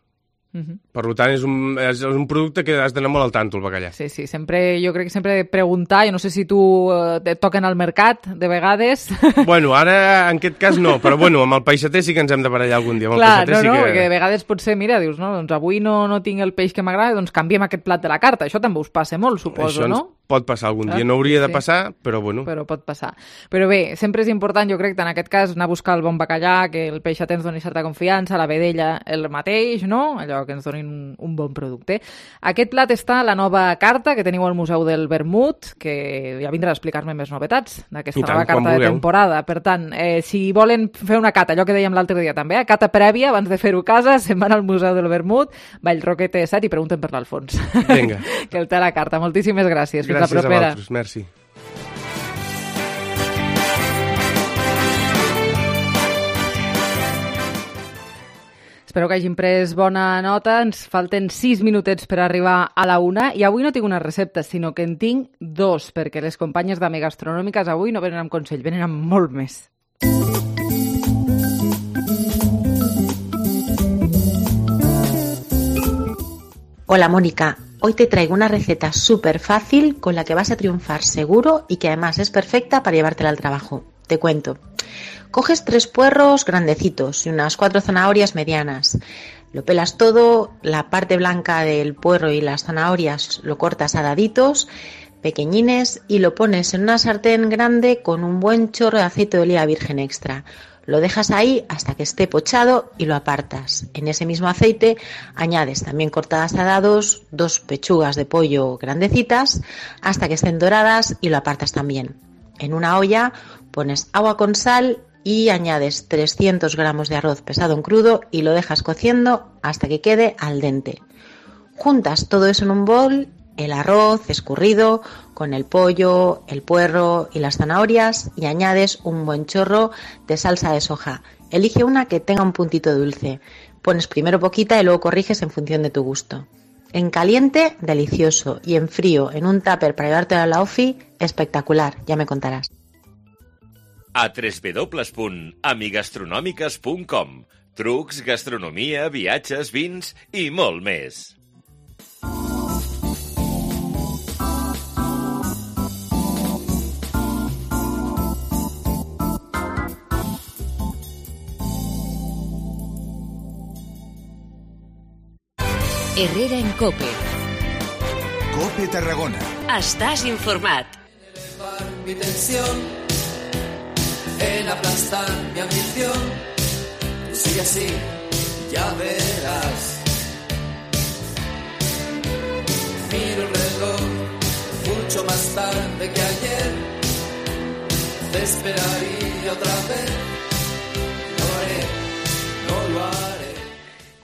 Per tant, és un producte que has d'anar molt al tanto, el bacallà. Sí, jo crec que sempre he de preguntar, jo no sé si tu et toquen al mercat, de vegades. Ara, en aquest cas, no, però amb el peixater sí que ens hem de barallar algun dia. Clar, perquè de vegades potser, mira, dius, no, doncs avui no tinc el peix que m'agrada, doncs canviem aquest plat de la carta. Això també us passa molt, suposo, no? Pot passar algun dia, no hauria de passar, però Però pot passar. Però bé, sempre és important, jo crec, en aquest cas, anar a buscar el bon bacallà, que el peixater ens doni certa confiança, la vedella el mateix, no? Allò que ens donin un bon producte. Aquest plat està a la nova carta que teniu al Museu del Vermut, que ja vindrà a explicar-me més novetats d'aquesta nova carta de temporada. Per tant, si volen fer una cata, allò que dèiem l'altre dia també, cata prèvia, abans de fer-ho a casa, se'n van al Museu del Vermut, Vallroquete 7 i pregunten per l'Alfons. Vinga. Que el té a la carta. Moltíssimes gràcies. Gràcies a vosaltres, merci. Espero que hagin pres bona nota. Ens falten 6 minutets per arribar a la 1 i avui no tinc una recepta, sinó que en tinc 2, perquè les companyes d'Ame Gastronòmiques avui no venen amb consell, venen amb molt més. Hola Mónica, hoy te traigo una receta súper fácil con la que vas a triunfar seguro y que además es perfecta para llevártela al trabajo. Te cuento. Coges 3 puerros grandecitos y unas 4 zanahorias medianas. Lo pelas todo, la parte blanca del puerro y las zanahorias lo cortas a daditos, pequeñines, y lo pones en una sartén grande con un buen chorro de aceite de oliva virgen extra. Lo dejas ahí hasta que esté pochado y lo apartas. En ese mismo aceite añades también cortadas a dados 2 pechugas de pollo grandecitas hasta que estén doradas y lo apartas también. En una olla pones agua con sal y añades 300 gramos de arroz pesado en crudo y lo dejas cociendo hasta que quede al dente. Juntas todo eso en un bol, el arroz escurrido con el pollo, el puerro y las zanahorias y añades un buen chorro de salsa de soja. Elige una que tenga un puntito dulce. Pones primero poquita y luego corriges en función de tu gusto. En caliente, delicioso, y en frío, en un tupper para llevártelo a la ofi, espectacular, ya me contarás. A www.amigastronòmiques.com. Trucs, gastronomia, viatges, vins i molt més. Herrera en COPE. COPE Tarragona. Estàs informat. Mi tensión en aplastar mi ambición. Tú sigue así, ya verás. Miro el reloj mucho más tarde que ayer. Te esperaría otra vez. Lo haré, no lo haré.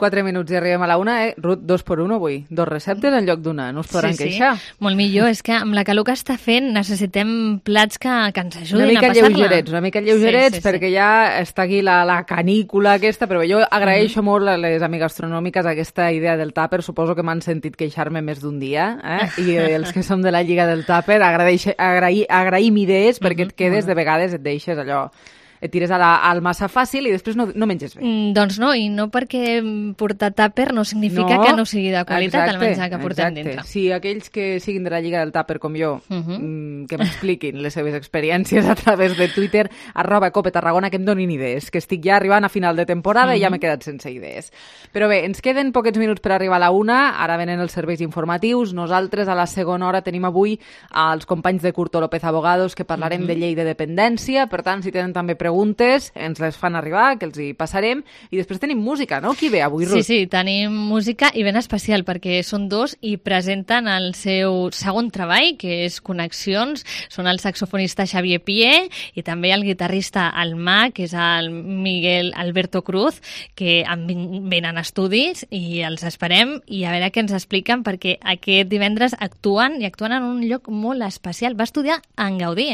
4 minuts i arribem a la 1, Ruth, 2 per 1 avui. 2 receptes en lloc d'una, no us podran queixar. Molt millor, és que amb la calor que està fent necessitem plats que ens ajudin a passar-la. Una mica lleugerets, perquè ja està aquí la canícula aquesta, però jo agraeixo molt a les amigastronòmiques aquesta idea del tàper, suposo que m'han sentit queixar-me més d'un dia, i els que som de la Lliga del Tàper agraïm idees perquè et quedes, de vegades et deixes allò, et tires al massa fàcil i després no menges bé. Doncs no, i no perquè portar tàper no significa que no sigui de qualitat el menjar que portem dintre. Sí, aquells que siguin de la Lliga del Tàper com jo, que m'expliquin les seves experiències a través de Twitter, @COPETarragona, que em donin idees, que estic ja arribant a final de temporada i ja m'he quedat sense idees. Però bé, ens queden poquets minuts per arribar a la 1, ara venen els serveis informatius. Nosaltres a la segona hora tenim avui els companys de Curto López Abogados, que parlarem de llei de dependència, per tant, si tenen també preguntes, ens les fan arribar, que els hi passarem, i després tenim música, no? Qui ve avui, Ruth? Sí, tenim música i ben especial, perquè són dos i presenten el seu segon treball, que és Connexions. Són el saxofonista Xavier Pié i també el guitarrista Almà, que és el Miguel Alberto Cruz, que venen a estudis i els esperem i a veure què ens expliquen, perquè aquest divendres actuen en un lloc molt especial. Va estudiar en Gaudí,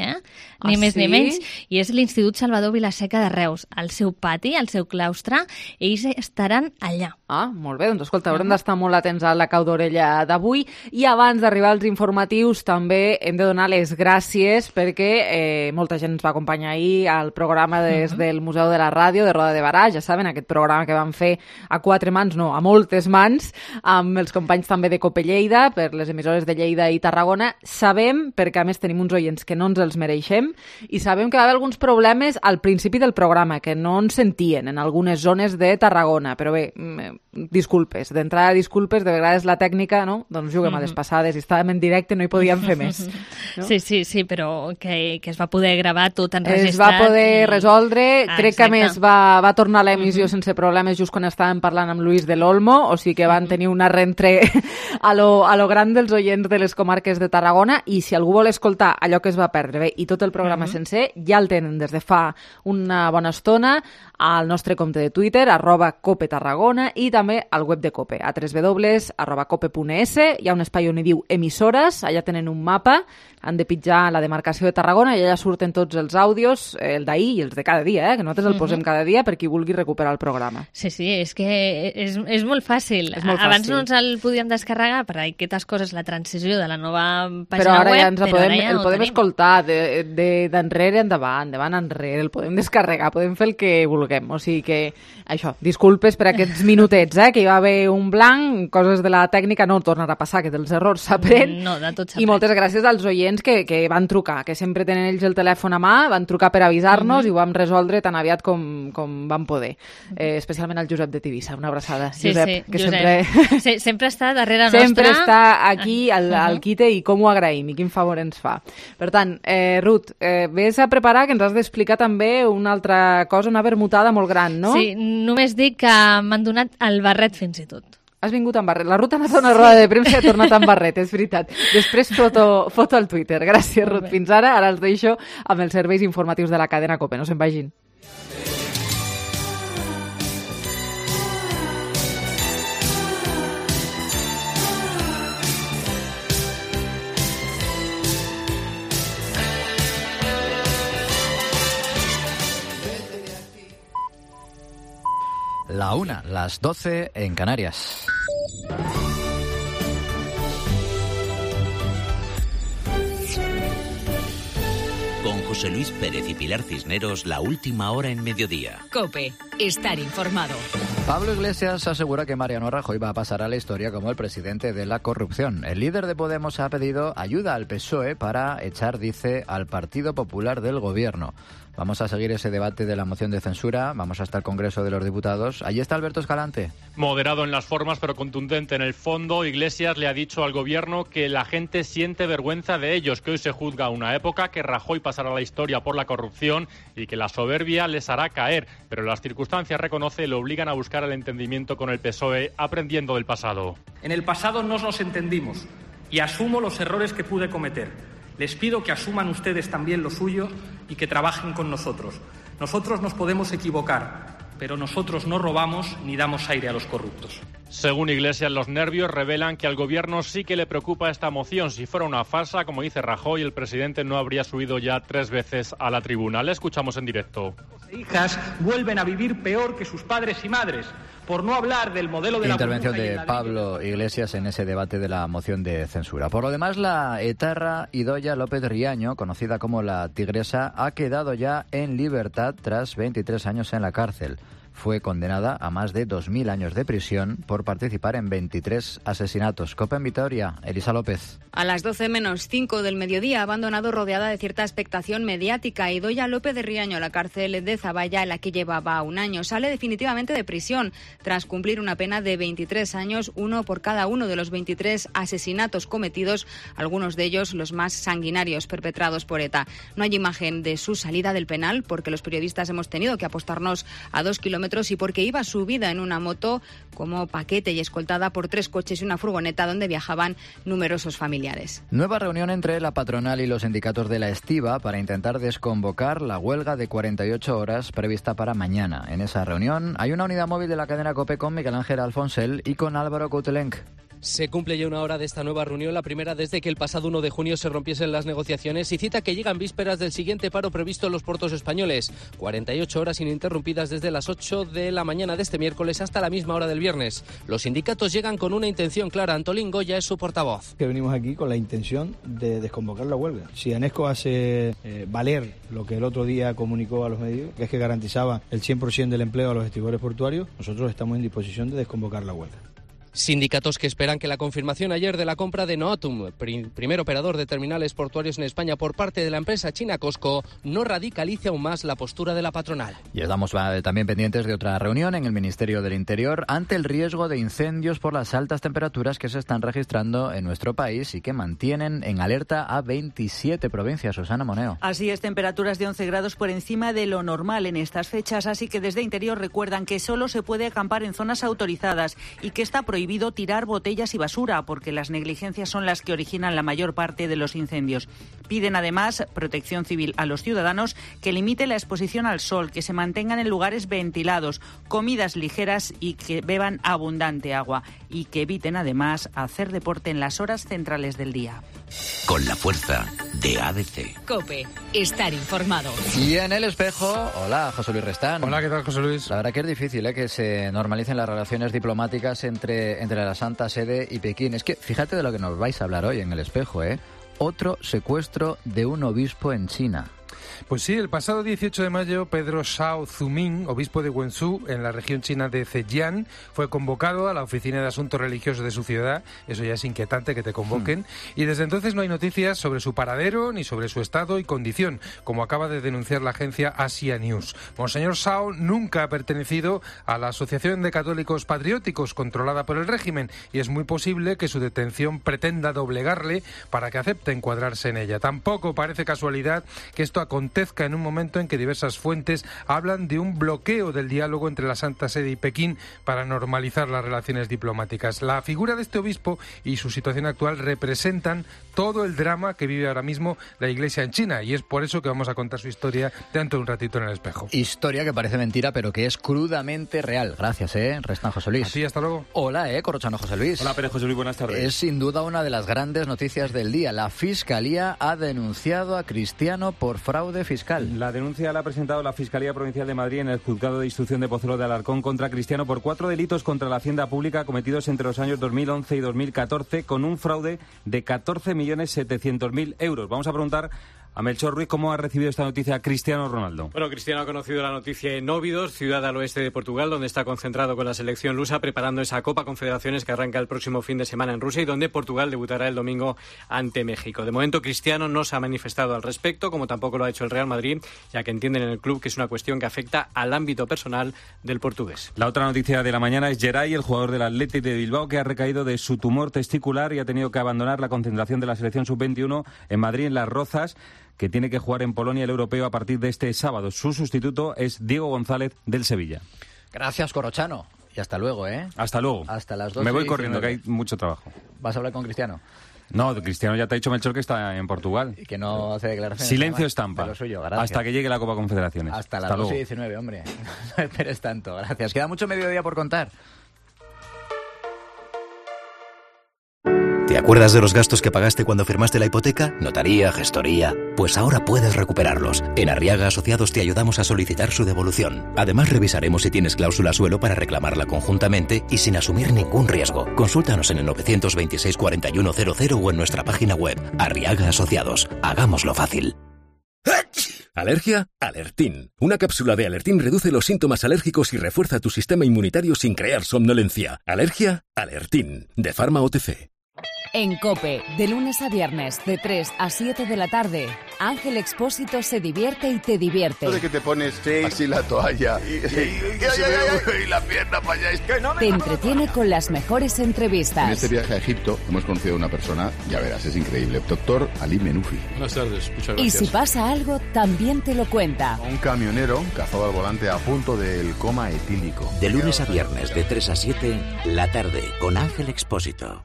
ni més ni menys, i és l'Institut Salvador Vilaseca de Reus. Al seu pati, al seu claustre, ells estaran allà. Molt bé, doncs escolta, haurem d'estar molt atents a la cau d'orella d'avui, i abans d'arribar als informatius també hem de donar les gràcies perquè molta gent ens va acompanyar ahir al programa des del Museu de la Ràdio de Roda de Barà, ja saben, aquest programa que vam fer a 4 mans, no, a moltes mans, amb els companys també de COPE Lleida, per les emissores de Lleida i Tarragona. Sabem, perquè a més tenim uns oients que no ens els mereixem, i sabem que va haver alguns problemes al principi del programa, que no ens sentien en algunes zones de Tarragona, però bé, disculpes, d'entrada disculpes, de vegades la tècnica, no? Doncs juguem a les passades, i estàvem en directe, no hi podíem fer més. No? Sí, però que es va poder gravar tot enregistrat. Es va poder resoldre, crec que a més va tornar a l'emissió sense problemes just quan estàvem parlant amb Luis de l'Olmo, o sigui que van tenir un arrentre a lo gran dels oients de les comarques de Tarragona, i si algú vol escoltar allò que es va perdre bé i tot el programa sencer, ja el tenen des de fa una bona estona al nostre compte de Twitter, @COPETarragona, i també al web de COPE, a www.cope.es. Hi ha un espai on hi diu emissores, allà tenen un mapa, han de pitjar la demarcació de Tarragona i allà surten tots els àudios, el d'ahir i els de cada dia, que nosaltres el posem cada dia per qui vulgui recuperar el programa. Sí, és que és molt fàcil. Abans no ens el podíem descarregar per aquestes coses, la transició de la nova pàgina web, però ara ja el podem escoltar d'enrere endavant, endavant enrere, el podem descarregar, podem fer el que vulguem. O sigui que, això, disculpes per aquests minutets, que hi va haver un blanc, coses de la tècnica, no tornarà a passar, que dels errors s'aprèn. No, de tot s'aprèn. I moltes gràcies als oients que van trucar, que sempre tenen ells el telèfon a mà, van trucar per avisar-nos i ho vam resoldre tan aviat com vam poder. Especialment al Josep de Tivissa, una abraçada. Josep, que sempre està darrere nostra. Sempre està aquí al quite, i com ho agraïm i quin favor ens fa. Per tant, Ruth, vés a preparar, que ens has d'explicar també també una altra cosa, una vermutada molt gran, no? Sí, només dic que m'han donat el barret fins i tot. Has vingut amb barret. La Ruth ha anat a una roda de premsa i ha tornat amb barret, és veritat. Després foto al Twitter. Gràcies, Ruth. Fins ara. Ara els deixo amb els serveis informatius de la cadena COPE. No se'n vagin. La 1, las 12 en Canarias. Con José Luis Pérez y Pilar Cisneros, la última hora en mediodía. COPE, estar informado. Pablo Iglesias asegura que Mariano Rajoy va a pasar a la historia como el presidente de la corrupción. El líder de Podemos ha pedido ayuda al PSOE para echar, dice, al Partido Popular del gobierno. Vamos a seguir ese debate de la moción de censura, vamos hasta el Congreso de los Diputados. Allí está Alberto Escalante. Moderado en las formas, pero contundente en el fondo, Iglesias le ha dicho al gobierno que la gente siente vergüenza de ellos, que hoy se juzga una época, que Rajoy pasará a la historia por la corrupción y que la soberbia les hará caer. Pero las circunstancias, reconoce, le obligan a buscar el entendimiento con el PSOE, aprendiendo del pasado. En el pasado no nos entendimos y asumo los errores que pude cometer. Les pido que asuman ustedes también lo suyo y que trabajen con nosotros. Nosotros nos podemos equivocar, pero nosotros no robamos ni damos aire a los corruptos. Según Iglesias, los nervios revelan que al gobierno sí que le preocupa esta moción. Si fuera una farsa, como dice Rajoy, el presidente no habría subido ya 3 veces a la tribuna. Le escuchamos en directo. Hijas vuelven a vivir peor que sus padres y madres, por no hablar del modelo de la intervención de Pablo Iglesias en ese debate de la moción de censura. Por lo demás, la etarra Idoia López Riaño, conocida como la Tigresa, ha quedado ya en libertad tras 23 años en la cárcel. Fue condenada a más de 2.000 años de prisión por participar en 23 asesinatos. COPE en Vitoria, Elisa López. A las 12 menos 5 del mediodía ha abandonado rodeada de cierta expectación mediática Idoia López de Riaño, la cárcel de Zaballa, en la que llevaba un año. Sale definitivamente de prisión tras cumplir una pena de 23 años, uno por cada uno de los 23 asesinatos cometidos, algunos de ellos los más sanguinarios perpetrados por ETA. No hay imagen de su salida del penal porque los periodistas hemos tenido que apostarnos a 2 kilómetros y porque iba subida en una moto como paquete y escoltada por 3 coches y una furgoneta donde viajaban numerosos familiares. Nueva reunión entre la patronal y los sindicatos de la estiba para intentar desconvocar la huelga de 48 horas prevista para mañana. En esa reunión hay una unidad móvil de la cadena COPE con Miguel Ángel Alfonsel y con Álvaro Coutelenc. Se cumple ya una hora de esta nueva reunión, la primera desde que el pasado 1 de junio se rompiesen las negociaciones y cita que llegan vísperas del siguiente paro previsto en los puertos españoles. 48 horas ininterrumpidas desde las 8 de la mañana de este miércoles hasta la misma hora del viernes. Los sindicatos llegan con una intención clara. Antolín Goya es su portavoz. Que venimos aquí con la intención de desconvocar la huelga. Si Anesco hace valer lo que el otro día comunicó a los medios, que es que garantizaba el 100% del empleo a los estibadores portuarios, nosotros estamos en disposición de desconvocar la huelga. Sindicatos que esperan que la confirmación ayer de la compra de Noatum, primer operador de terminales portuarios en España por parte de la empresa china COSCO, no radicalice aún más la postura de la patronal. Y estamos también pendientes de otra reunión en el Ministerio del Interior ante el riesgo de incendios por las altas temperaturas que se están registrando en nuestro país y que mantienen en alerta a 27 provincias. Susana Moneo. Así es, temperaturas de 11 grados por encima de lo normal en estas fechas, así que desde Interior recuerdan que solo se puede acampar en zonas autorizadas y que está prohibido tirar botellas y basura porque las negligencias son las que originan la mayor parte de los incendios. Piden además Protección Civil a los ciudadanos que limite la exposición al sol, que se mantengan en lugares ventilados, comidas ligeras y que beban abundante agua y que eviten además hacer deporte en las horas centrales del día. Con la fuerza de ADC. COPE, estar informado. Y en El Espejo, hola, José Luis Restán. Hola, ¿qué tal, José Luis? La verdad que es difícil que se normalicen las relaciones diplomáticas entre la Santa Sede y Pekín. Es que fíjate de lo que nos vais a hablar hoy en El Espejo, Otro secuestro de un obispo en China. Pues sí, el pasado 18 de mayo, Pedro Shao Zuming, obispo de Wenzhou, en la región china de Zhejiang, fue convocado a la Oficina de Asuntos Religiosos de su ciudad. Eso ya es inquietante que te convoquen. Y desde entonces no hay noticias sobre su paradero ni sobre su estado y condición, como acaba de denunciar la agencia Asia News. Monseñor Shao nunca ha pertenecido a la Asociación de Católicos Patrióticos controlada por el régimen y es muy posible que su detención pretenda doblegarle para que acepte encuadrarse en ella. Tampoco parece casualidad que esto acontezca en un momento en que diversas fuentes hablan de un bloqueo del diálogo entre la Santa Sede y Pekín para normalizar las relaciones diplomáticas. La figura de este obispo y su situación actual representan todo el drama que vive ahora mismo la Iglesia en China, y es por eso que vamos a contar su historia dentro de un ratito en El Espejo. Historia que parece mentira, pero que es crudamente real. Gracias, Restan José Luis. Sí, hasta luego. Hola, Corrochano José Luis. Hola, Pérez José Luis, buenas tardes. Es sin duda una de las grandes noticias del día. La Fiscalía ha denunciado a Cristiano por fraude fiscal. La denuncia la ha presentado la Fiscalía Provincial de Madrid en el Juzgado de Instrucción de Pozuelo de Alarcón contra Cristiano por 4 delitos contra la Hacienda Pública cometidos entre los años 2011 y 2014 con un fraude de 14.700.000 euros. Vamos a preguntar a Melchor Ruiz, ¿cómo ha recibido esta noticia Cristiano Ronaldo? Bueno, Cristiano ha conocido la noticia en Óbidos, ciudad al oeste de Portugal, donde está concentrado con la selección lusa preparando esa Copa Confederaciones que arranca el próximo fin de semana en Rusia y donde Portugal debutará el domingo ante México. De momento, Cristiano no se ha manifestado al respecto, como tampoco lo ha hecho el Real Madrid, ya que entienden en el club que es una cuestión que afecta al ámbito personal del portugués. La otra noticia de la mañana es Geray, el jugador del Athletic de Bilbao, que ha recaído de su tumor testicular y ha tenido que abandonar la concentración de la selección sub-21 en Madrid, en Las Rozas, que tiene que jugar en Polonia el europeo a partir de este sábado. Su sustituto es Diego González del Sevilla. Gracias, Corrochano. Y hasta luego, Hasta luego. Hasta las 2:19. Me voy corriendo, que hay mucho trabajo. ¿Vas a hablar con Cristiano? No, Cristiano ya te ha dicho, Melchor, que está en Portugal. Y que no hace declaraciones. Silencio estampa. De lo suyo, gracias. Hasta que llegue la Copa Confederaciones. Hasta las 2:19, hombre. No esperes tanto. Gracias. Queda mucho mediodía por contar. ¿Te acuerdas de los gastos que pagaste cuando firmaste la hipoteca? Notaría, gestoría. Pues ahora puedes recuperarlos. En Arriaga Asociados te ayudamos a solicitar su devolución. Además, revisaremos si tienes cláusula suelo para reclamarla conjuntamente y sin asumir ningún riesgo. Consúltanos en el 926 4100 o en nuestra página web. Arriaga Asociados. Hagámoslo fácil. ¿Alergia? Alertín. Una cápsula de Alertín reduce los síntomas alérgicos y refuerza tu sistema inmunitario sin crear somnolencia. ¿Alergia? Alertín. De Pharma OTC. En COPE, de lunes a viernes, de 3 a 7 de la tarde, Ángel Expósito se divierte y te divierte. De que te pones así la toalla y la pierna para allá. Te entretiene con las mejores entrevistas. En este viaje a Egipto hemos conocido a una persona, ya verás, es increíble. Doctor Ali Menufi. Buenas tardes, muchas gracias. Y si pasa algo, también te lo cuenta. Un camionero cazado al volante a punto del coma etílico. De lunes a viernes, de 3 a 7, la tarde, con Ángel Expósito.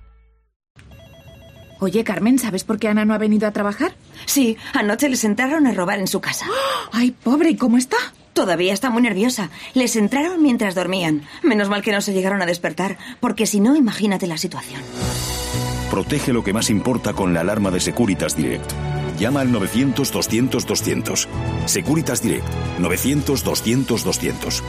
Oye, Carmen, ¿sabes por qué Ana no ha venido a trabajar? Sí, anoche les entraron a robar en su casa. ¡Ay, pobre! ¿Y cómo está? Todavía está muy nerviosa. Les entraron mientras dormían. Menos mal que no se llegaron a despertar, porque si no, imagínate la situación. Protege lo que más importa con la alarma de Securitas Direct. Llama al 900-200-200. Securitas Direct. 900-200-200.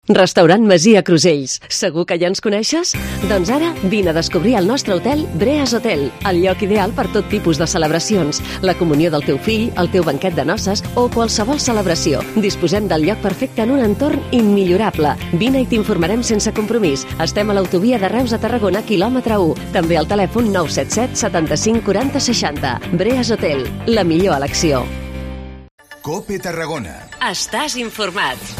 Restaurant Masia Crusells. Segur que ja ens coneixes? Doncs ara vine a descobrir el nostre hotel Breas Hotel, el lloc ideal per tot tipus de celebracions, la comunió del teu fill, el teu banquet de noces o qualsevol celebració. Disposem del lloc perfecte en un entorn immillorable. Vine i t'informarem sense compromís. Estem a l'autovia de Reus a Tarragona, quilòmetre 1. També al telèfon 977 75 40 60. Breas Hotel, la millor elecció. COPE Tarragona. Estàs informat.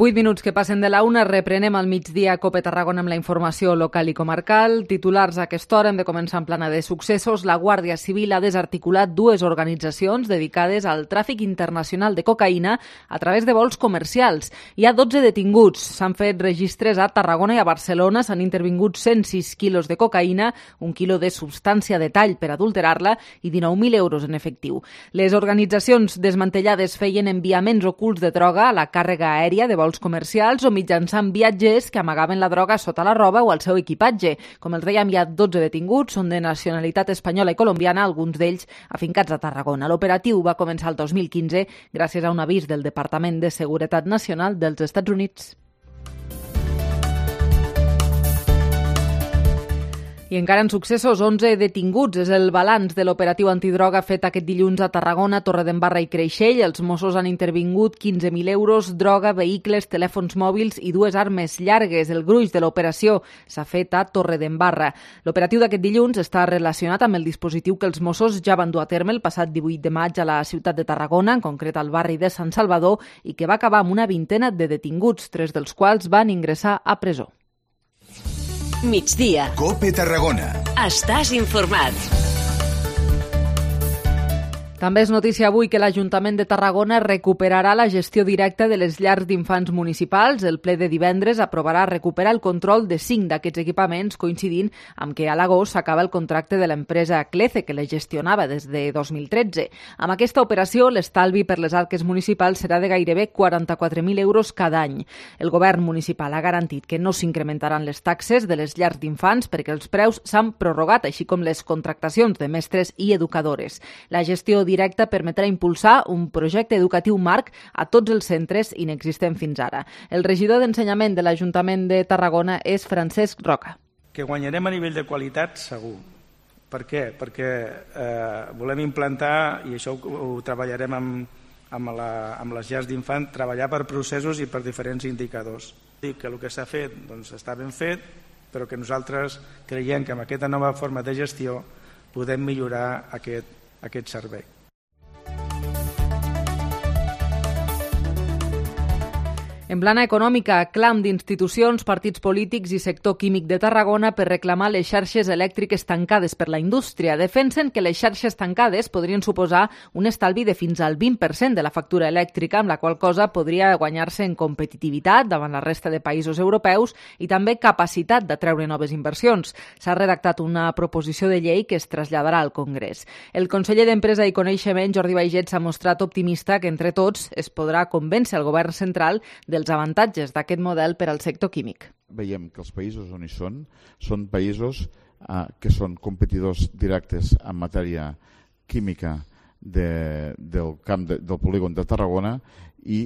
8 minuts que passen de la 1, reprenem al migdia COPE Tarragona amb la informació local i comarcal. Titulars a aquesta hora, hem de començar en plana de successos. La Guàrdia Civil ha desarticulat 2 organitzacions dedicades al tràfic internacional de cocaïna a través de vols comercials. Hi ha 12 detinguts. S'han fet registres a Tarragona i a Barcelona. S'han intervingut 106 quilos de cocaïna, 1 quilo de substància de tall per adulterar-la i 19.000 euros en efectiu. Les organitzacions desmantellades feien enviaments ocults de droga a la càrrega aèria de vols comercials o mitjançant viatgers que amagaven la droga sota la roba o al seu equipatge. Com els dèiem, hi ha 12 detinguts, són de nacionalitat espanyola i colombiana, alguns d'ells afincats a Tarragona. L'operatiu va començar el 2015 gràcies a un avís del Departament de Seguretat Nacional dels Estats Units. I encara en successos, 11 detinguts. És el balanç de l'operatiu antidroga fet aquest dilluns a Tarragona, Torredembarra i Creixell. Els Mossos han intervingut 15.000 euros, droga, vehicles, telèfons mòbils i 2 armes llargues. El gruix de l'operació s'ha fet a Torredembarra. L'operatiu d'aquest dilluns està relacionat amb el dispositiu que els Mossos ja van dur a terme el passat 18 de maig a la ciutat de Tarragona, en concret al barri de Sant Salvador, i que va acabar amb una vintena de detinguts, 3 dels quals van ingressar a presó. Migdia. COPE Tarragona. Estàs informat. També és notícia avui que l'Ajuntament de Tarragona recuperarà la gestió directa de les llars d'infants municipals. El ple de divendres aprovarà recuperar el control de 5 d'aquests equipaments, coincidint amb que a l'agost s'acaba el contracte de l'empresa Clece, que les gestionava des de 2013. Amb aquesta operació, l'estalvi per les arques municipals serà de gairebé 44.000 euros cada any. El govern municipal ha garantit que no s'incrementaran les taxes de les llars d'infants perquè els preus s'han prorrogat, així com les contractacions de mestres i educadores. La gestió directa permetrà impulsar un projecte educatiu marc a tots els centres inexistent fins ara. El regidor d'Ensenyament de l'Ajuntament de Tarragona és Francesc Roca. Que guanyarem a nivell de qualitat, segur. Per què? Perquè volem implantar, i això ho treballarem amb les llars d'infant, treballar per processos i per diferents indicadors. Dic que el que s'ha fet està ben fet, però que nosaltres creiem que amb aquesta nova forma de gestió podem millorar aquest servei. En plana econòmica, clam d'institucions, partits polítics i sector químic de Tarragona per reclamar les xarxes elèctriques tancades per la indústria. Defensen que les xarxes tancades podrien suposar un estalvi de fins al 20% de la factura elèctrica, amb la qual cosa podria guanyar-se en competitivitat davant la resta de països europeus i també capacitat d'atreure noves inversions. S'ha redactat una proposició de llei que es traslladarà al Congrés. El conseller d'Empresa i Coneixement, Jordi Baiget, s'ha mostrat optimista que entre tots es podrà convèncer el govern central dels avantatges d'aquest model per al sector químic. Veiem que els països on hi són països que són competidors directes en matèria química del camp del polígon de Tarragona i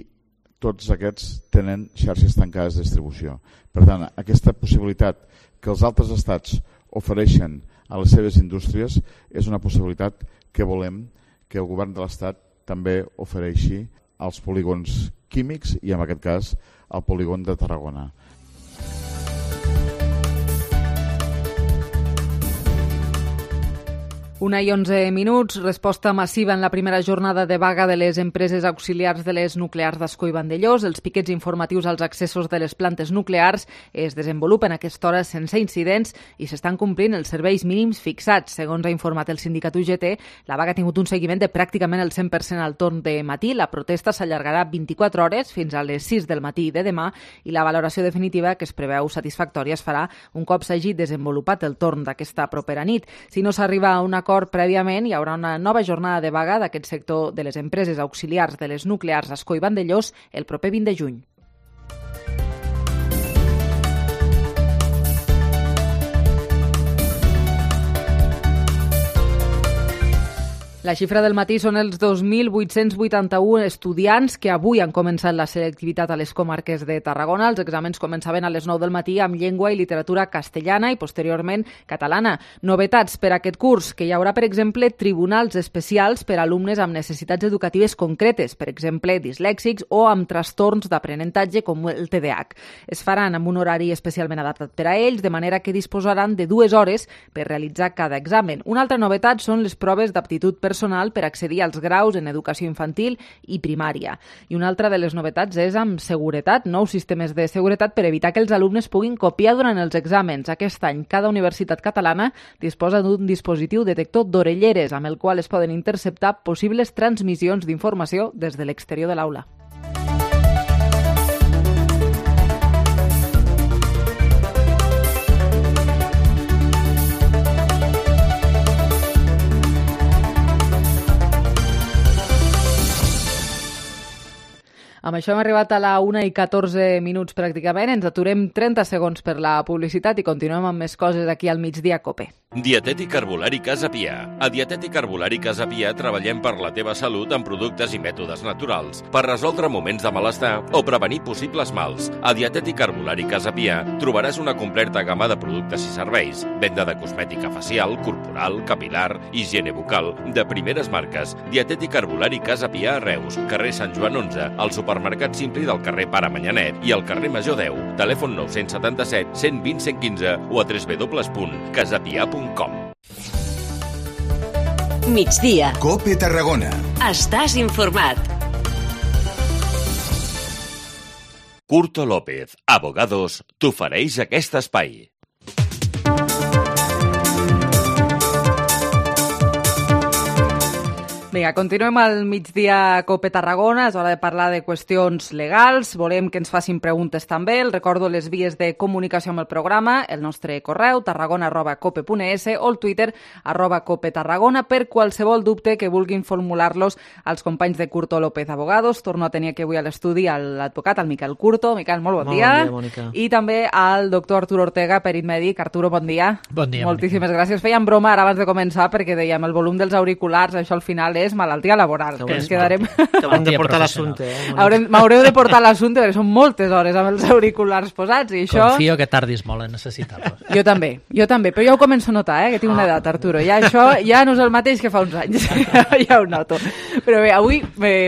tots aquests tenen xarxes tancades de distribució. Per tant, aquesta possibilitat que els altres estats ofereixen a les seves indústries és una possibilitat que volem que el govern de l'Estat també ofereixi als polígons químics i, en aquest cas, al polígon de Tarragona. 1:11, resposta massiva en la primera jornada de vaga de les empreses auxiliars de les nuclears d'Ascó i Vandellòs. Els piquets informatius als accessos de les plantes nuclears es desenvolupen a aquesta hora sense incidents i s'estan complint els serveis mínims fixats. Segons ha informat el sindicat UGT, la vaga ha tingut un seguiment de pràcticament el 100% al torn de matí. La protesta s'allargarà 24 hores fins a les 6 del matí de demà i la valoració definitiva, que es preveu satisfactòria, es farà un cop s'hagi desenvolupat el torn d'aquesta propera nit. Si no s'arriba a un acord prèviament, hi haurà una nova jornada de vaga d'aquest sector de les empreses auxiliars de les nuclears Ascó i Vandellòs el proper 20 de juny. La xifra del matí són els 2.881 estudiants que avui han començat la selectivitat a les comarques de Tarragona. Els exàmens començaven a les 9 del matí amb llengua i literatura castellana i posteriorment catalana. Novetats per a aquest curs, que hi haurà, per exemple, tribunals especials per a alumnes amb necessitats educatives concretes, per exemple, dislèxics o amb trastorns d'aprenentatge com el TDAH. Es faran amb un horari especialment adaptat per a ells, de manera que disposaran de 2 hores per realitzar cada examen. Una altra novetat són les proves d'aptitud personal per accedir als graus en educació infantil i primària. I una altra de les novetats és amb seguretat, nous sistemes de seguretat per evitar que els alumnes puguin copiar durant els exàmens. Aquest any, cada universitat catalana disposa d'un dispositiu detector d'orelleres amb el qual es poden interceptar possibles transmissions d'informació des de l'exterior de l'aula. Amb això hem arribat a la 1:14 pràcticament. Ens aturem 30 segons per la publicitat i continuem amb més coses aquí al Migdia Cope. Dietètic Herbolari Casa Pia. A Dietètic Herbolari Casa Pia treballem per la teva salut amb productes i mètodes naturals, per resoldre moments de malestar o prevenir possibles mals. A Dietètic Herbolari Casa Pia trobaràs una completa gamma de productes i serveis, venda de cosmètica facial, corporal, capilar, higiene bucal, de primeres marques. Dietètic Herbolari Casa Pia a Reus, carrer Sant Joan 11, al supermercat Simpli del carrer Pare Manyanet i al carrer Major 10. Telèfon 977 120 115 o a www.casapia.com. Migdia. COPE Tarragona. Estàs informat. Curto López, Abogados, t'ofereix aquest espai. Vinga, continuem al migdia Cope Tarragona, és hora de parlar de qüestions legals, volem que ens facin preguntes també, els recordo les vies de comunicació amb el programa, el nostre correu tarragona@cope.es o el Twitter @copetarragona per qualsevol dubte que vulguin formular-los als companys de Curto López Abogados. Torno a tenir aquí avui a l'estudi l'advocat, el Miquel Curto. Miquel, molt bon dia. Bon dia, Mònica. I també al doctor Arturo Ortega, perit mèdic. Arturo, bon dia. Bon dia, moltíssimes gràcies. Fèiem broma ara abans de començar perquè dèiem el volum dels auriculars, això al final és malaltia laboral. Que ens quedarem... T'haurem de portar l'assumpte, M'haureu de portar l'assumpte perquè són moltes hores amb els auriculars posats i això... Confio que tardis molt en necessitar-los. Jo també, però ja ho començo a notar, que tinc una edat, Arturo. Ja això ja no és el mateix que fa uns anys, ja ho noto. Però bé, avui,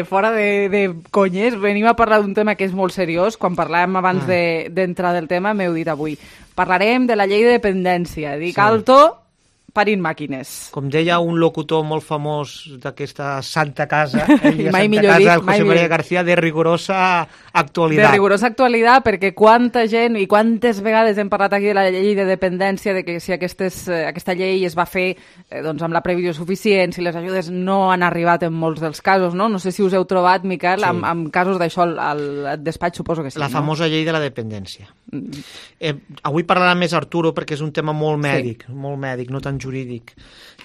fora de conyes, venim a parlar d'un tema que és molt seriós. Quan parlàvem abans d'entrar del tema, m'heu dit avui. Parlarem de la llei de dependència. Dic alto... parint màquines. Com deia un locutor molt famós d'aquesta santa casa, mai millor dit, el José María García, de rigorosa actualitat. De rigorosa actualitat, perquè quanta gent i quantes vegades hem parlat aquí de la llei de dependència, de que si aquesta llei es va fer amb la previsió suficient, si les ajudes no han arribat en molts dels casos, no? No sé si us heu trobat, Miquel, amb casos d'això al despatx, suposo que sí. La famosa llei de la dependència. Avui parlarà més Arturo perquè és un tema molt mèdic, no tan jurídic.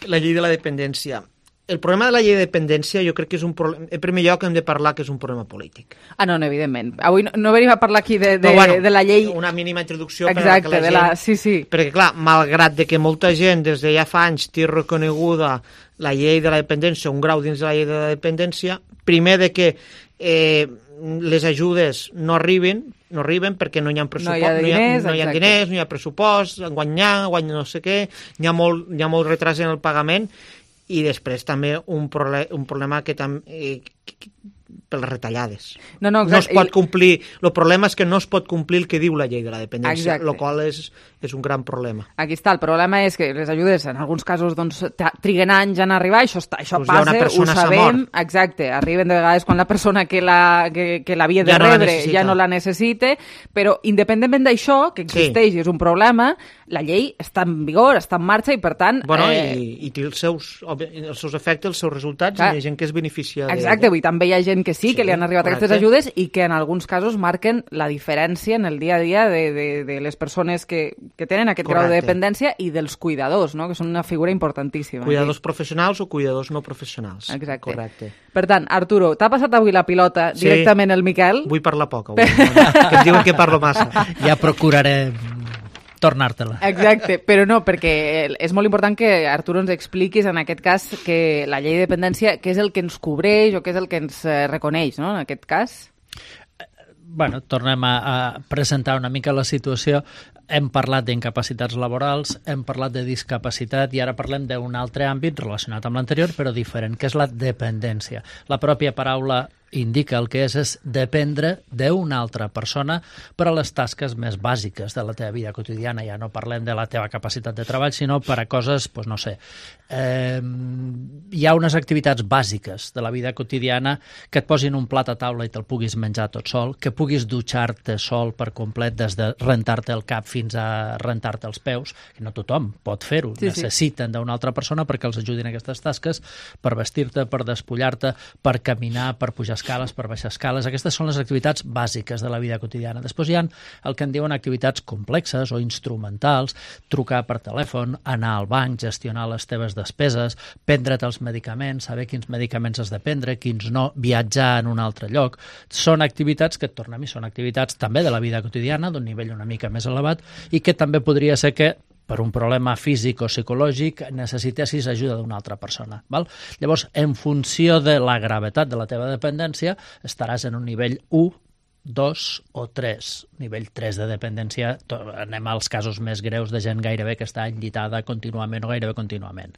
La llei de la dependència. El problema de la llei de dependència jo crec que és un problema... En primer lloc hem de parlar que és un problema polític. No, evidentment. Avui no venim a parlar aquí de la llei... Una mínima introducció. Exacte, per a que la gent... Sí. Perquè, clar, malgrat de que molta gent des de ja fa anys té reconeguda la llei de la dependència, un grau dins de la llei de la dependència, primer de que les ajudes no arriben perquè no hi ha pressupost, no hi ha diners, no hi ha pressupost, guany no sé què, hi ha molt retras en el pagament i després també un problema que també per les retallades. No es pot complir, el problema és que no es pot complir el que diu la llei de la dependència, el qual és un gran problema. Aquí està, el problema és que les ajudes en alguns casos triguen anys en arribar, això passa, ho sabem, exacte, arriben de vegades quan la persona que l'havia de rebre ja no la necessita, però independentment d'això, que existeix i és un problema, la llei està en vigor, està en marxa i per tant... I té els seus efectes, els seus resultats, i hi ha gent que es beneficia. Exacte, avui també hi ha gent que sí, que li han arribat aquestes ajudes i que en alguns casos marquen la diferència en el dia a dia de les persones que tenen aquest grau de dependència i dels cuidadors, no? Que són una figura importantíssima. Cuidadors professionals o cuidadors no professionals. Exacte. Correcte. Per tant, Arturo, t'ha passat avui la pilota directament el Miquel? Vull parlar poc avui, que em diuen que parlo massa. Ja procuraré tornar-te-la. Exacte, però no, perquè és molt important que, Arturo, ens expliquis en aquest cas que la llei de dependència, què és el que ens cobreix o què és el que ens reconeix, no?, en aquest cas. Bueno, tornem a presentar una mica la situació. Hem parlat d'incapacitats laborals, hem parlat de discapacitat i ara parlem d'un altre àmbit relacionat amb l'anterior, però diferent, que és la dependència. La pròpia paraula indica el que és dependre d'una altra persona per a les tasques més bàsiques de la teva vida quotidiana. Ja no parlem de la teva capacitat de treball, sinó per a coses, doncs no sé, hi ha unes activitats bàsiques de la vida quotidiana que et posin un plat a taula i te'l puguis menjar tot sol, que puguis dutxar-te sol per complet des de rentar-te el cap fins a rentar-te els peus, que no tothom pot fer-ho, necessiten d'una altra persona perquè els ajudin a aquestes tasques, per vestir-te, per despullar-te, per caminar, per pujar escales, per baixar escales. Aquestes són les activitats bàsiques de la vida quotidiana. Després hi ha el que en diuen activitats complexes o instrumentals, trucar per telèfon, anar al banc, gestionar les teves despeses, prendre't els medicaments, saber quins medicaments has de prendre, quins no, viatjar en un altre lloc. Són activitats que, tornem, són activitats també de la vida quotidiana, d'un nivell una mica més elevat, i que també podria ser que per un problema físic o psicològic necessitessis ajuda d'una altra persona. Val? Llavors, en funció de la gravetat de la teva dependència, estaràs en un nivell 1, 2 o 3. Nivell 3 de dependència, anem als casos més greus de gent gairebé que està enllitada contínuament o gairebé contínuament.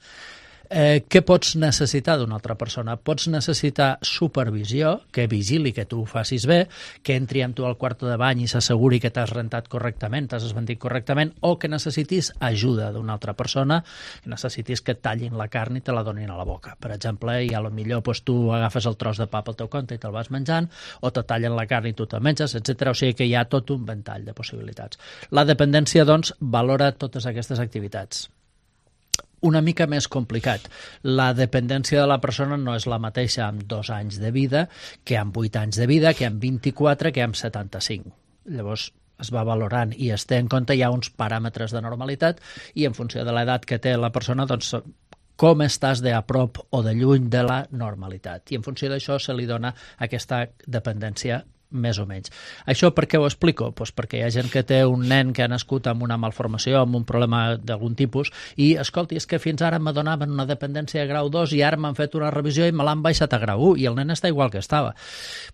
Què pots necessitar d'una altra persona? Pots necessitar supervisió, que vigili que tu ho facis bé, que entri amb tu al quarto de bany i s'asseguri que t'has rentat correctament, t'has esventit correctament, o que necessitis ajuda d'una altra persona, que necessitis que et tallin la carn i te la donin a la boca. Per exemple, i a lo millor tu agafes el tros de pa pel teu compte i te'l vas menjant, o te tallen la carn i tu te'l menges, etc. O sigui que hi ha tot un ventall de possibilitats. La dependència, doncs, valora totes aquestes activitats. una mica més complicat. La dependència de la persona no és la mateixa amb 2 anys de vida que amb 8 anys de vida, que amb 24, que amb 75. Llavors es va valorant i es té en compte, hi ha uns paràmetres de normalitat i en funció de l'edat que té la persona, doncs com estàs de a prop o de lluny de la normalitat. I en funció d'això se li dona aquesta dependència més o menys. Això per què ho explico? Pues perquè hi ha gent que té un nen que ha nascut amb una malformació, amb un problema d'algun tipus, i, escolti, és que fins ara me donaven una dependència de grau 2 i ara m'han fet una revisió i me l'han baixat a grau 1, i el nen està igual que estava.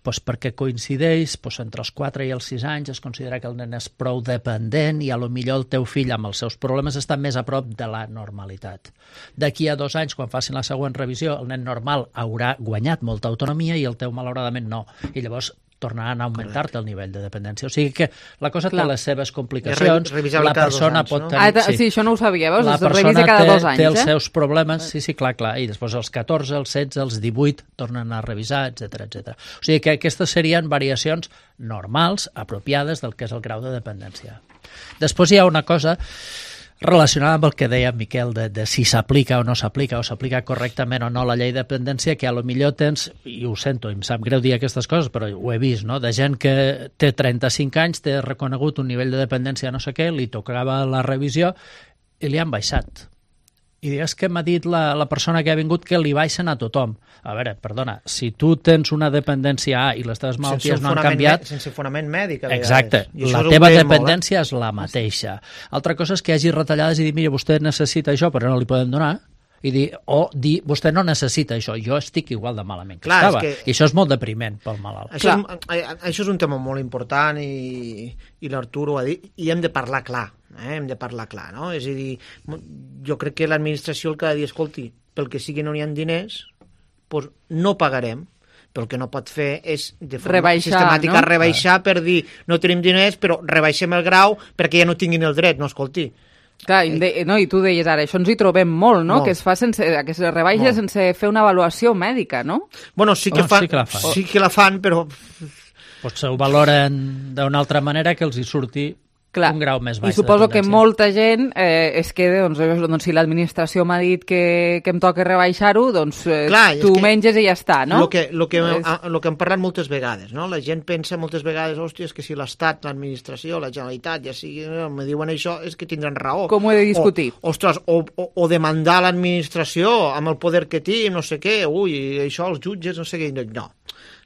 Pues perquè coincideix, entre els 4 i els 6 anys es considera que el nen és prou dependent i a lo millor el teu fill amb els seus problemes està més a prop de la normalitat. D'aquí a 2 anys, quan facin la següent revisió, el nen normal haurà guanyat molta autonomia i el teu, malauradament, no. I llavors tornaran a augmentar-te el nivell de dependència. O sigui que la cosa té les seves complicacions. La persona pot tenir... Sí, això no ho sabia, veus? La persona té els seus problemes, sí, clar, i després els 14, els 16, els 18 tornen a revisar, etc. O sigui que aquestes serien variacions normals, apropiades del que és el grau de dependència. Després hi ha una cosa relacionada amb el que deia Miquel de si s'aplica o no s'aplica, o s'aplica correctament o no la llei de dependència, que a lo millor tens, i ho sento, em sap greu dir aquestes coses, però ho he vist, no?, de gent que té 35 anys, té reconegut un nivell de dependència no sé què, li tocava la revisió i li han baixat. I és que m'ha dit la persona que ha vingut que li baixen a tothom. A veure, perdona, si tu tens una dependència A i les teves malalties no han canviat... Sense fonament mèdic. Exacte, la teva dependència és la mateixa. Altra cosa és que hi hagi retallades i dir, mira, vostè necessita això, però no li poden donar, i dir, vostè no necessita això, jo estic igual de malament que estava. I això és molt depriment pel malalt. Això és un tema molt important i l'Artur ho ha dit, i hem de parlar clar. Hem de parlar clar, no? És a dir, jo crec que l'administració el que ha de dir, escolti, pel que sigui no hi ha diners, doncs no pagarem. Però el que no pot fer és de forma sistemàtica rebaixar per dir no tenim diners, però rebaixem el grau perquè ja no tinguin el dret, no, escolti. Clar, i tu deies ara, això ens hi trobem molt, no? Que es fa que es rebaixa sense fer una avaluació mèdica, no? Bueno, sí que la fan, però... Potser ho valoren d'una altra manera que els hi surti un grau més baix. I suposo que molta gent es queda, doncs si l'administració m'ha dit que em toca rebaixar-ho, doncs tu menges i ja està, no? El que hem parlat moltes vegades, no? La gent pensa moltes vegades, hòstia, és que si l'Estat, l'administració, la Generalitat, ja sigui, me diuen això, és que tindran raó. Com ho he de discutir? Ostres, o demandar l'administració amb el poder que té, no sé què, això, els jutges, no sé què, no.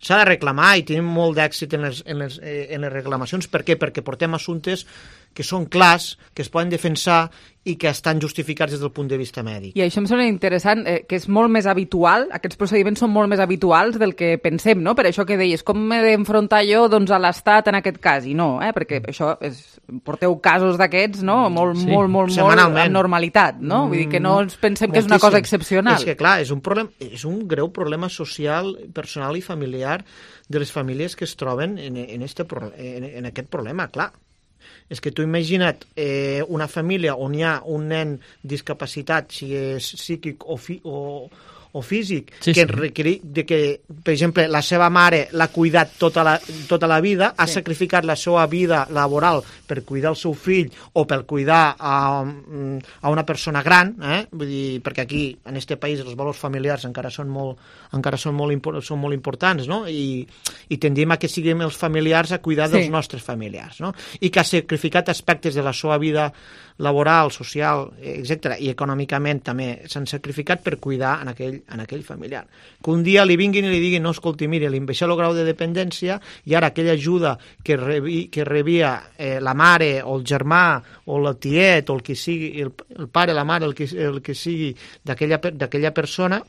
S'ha de reclamar i tenim molt d'èxit en les reclamacions. Per què? Perquè portem assumptes que són clars, que es poden defensar i que estan justificats des del punt de vista mèdic. I això em sembla interessant, que és molt més habitual, aquests procediments són molt més habituals del que pensem, no? Per això que deies, com m'he d'enfrontar jo a l'Estat en aquest cas? I no, perquè això porteu casos d'aquests, no? Molt amb normalitat, no? Vull dir que no ens pensem que és una cosa excepcional. És que, clar, és un greu problema social, personal i familiar de les famílies que es troben en aquest problema, clar. És que tu imagina't una família on hi ha un nen discapacitat, si és psíquic o físic, que, per exemple, la seva mare l'ha cuidat tota la vida, ha sacrificat la seva vida laboral per cuidar el seu fill o per cuidar a una persona gran, vull dir, perquè aquí, en aquest país, els valors familiars encara són molt importants, no? I tendim a que siguem els familiars a cuidar dels nostres familiars, no? I que ha sacrificat aspectes de la seva vida laboral, social, etc. i econòmicament també s'han sacrificat per cuidar en aquell familiar. Que un dia li vinguin i li diguin, no, escolti, mira, li baixeu el grau de dependència i ara aquella ajuda que rebia la mare o el germà o el tiet o el que sigui, el pare, la mare, el que sigui d'aquella persona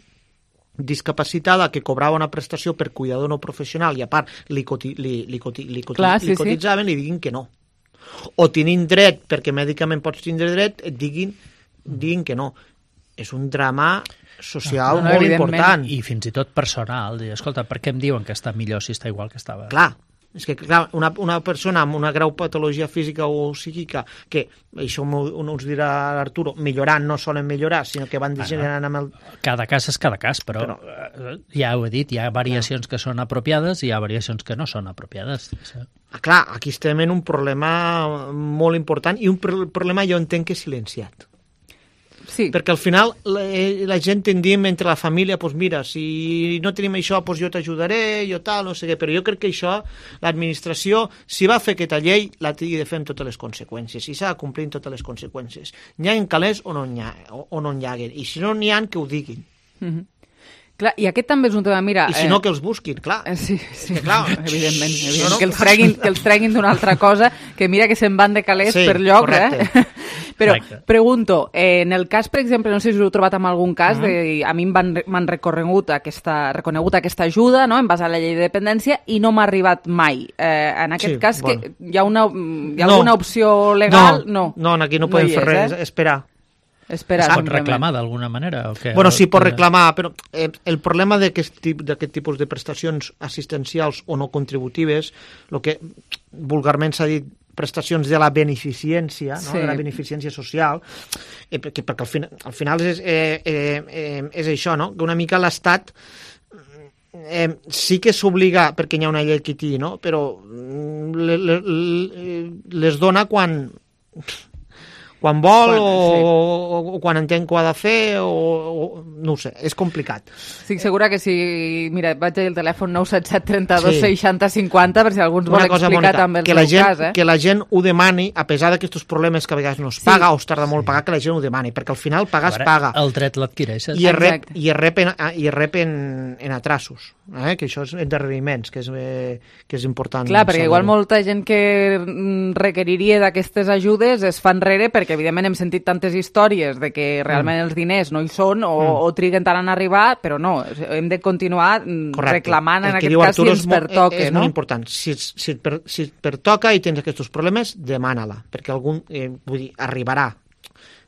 discapacitada que cobrava una prestació per cuidador no professional i a part li cotitzaven, li diguin que no. O tenint dret, perquè mèdicament pots tindre dret, et diguin que no. És un drama social molt important. I fins i tot personal. Escolta, per què em diuen que està millor si està igual que estava? Clar, és que una persona amb una greu patologia física o psíquica, que això us dirà l'Arturo, millorant no solen millorar, sinó que van degenerant amb el... Cada cas és cada cas, però ja ho he dit, hi ha variacions que són apropiades i hi ha variacions que no són apropiades. Clar, aquí estem en un problema molt important i un problema jo entenc que silenciat. Sí. Perquè al final la gent tendim entre la família, doncs mira, si no tenim això, doncs jo t'ajudaré, jo tal, no sé què, però jo crec que això, l'administració, si va fer aquesta llei, la tingui de fer amb totes les conseqüències, i s'ha de complir amb totes les conseqüències. N'hi ha calés o no n'hi ha, i si no n'hi ha, que ho diguin. Clar, i aquest també és un tema, mira... I si no, que els busquin, clar. Sí, clar. Evidentment. Que els treguin d'una altra cosa, que mira que se'n van de calés per lloc, Però pregunto, en el cas, per exemple, no sé si us heu trobat en algun cas, a mi m'han reconegut aquesta ajuda, no?, en base a la llei de dependència, i no m'ha arribat mai. En aquest cas, que hi ha alguna opció legal? No, aquí no podem fer res, esperar. Es pot reclamar d'alguna manera? Bueno, sí, pot reclamar, però el problema d'aquest tipus de prestacions assistencials o no contributives, el que vulgarment s'ha dit prestacions de la beneficència, de la beneficència social, perquè al final és això, no? Que una mica l'Estat sí que s'obliga, perquè hi ha una llei que té, no? Però les dona quan vol o quan entén que ho ha de fer o no ho sé, és complicat. Estic segura que si... Mira, vaig al telèfon 977 32 60 50 per si algú ens vol explicar també el seu cas. Que la gent ho demani, a pesar d'aquests problemes que a vegades no es paga o es tarda molt pagar, que la gent ho demani, perquè al final pagar es paga. El dret l'adquireixes. I es rep en atrasos, que això és endarreriments, que és important. Clar, perquè igual molta gent que requeriria d'aquestes ajudes es fa enrere perquè evidentment hem sentit tantes històries de que realment els diners no hi són o triguen tant en arribar, però no, hem de continuar reclamant en aquest cas si ens pertoca. És molt important. Si et pertoca i tens aquests problemes, demana-la, perquè algun, vull dir, arribarà.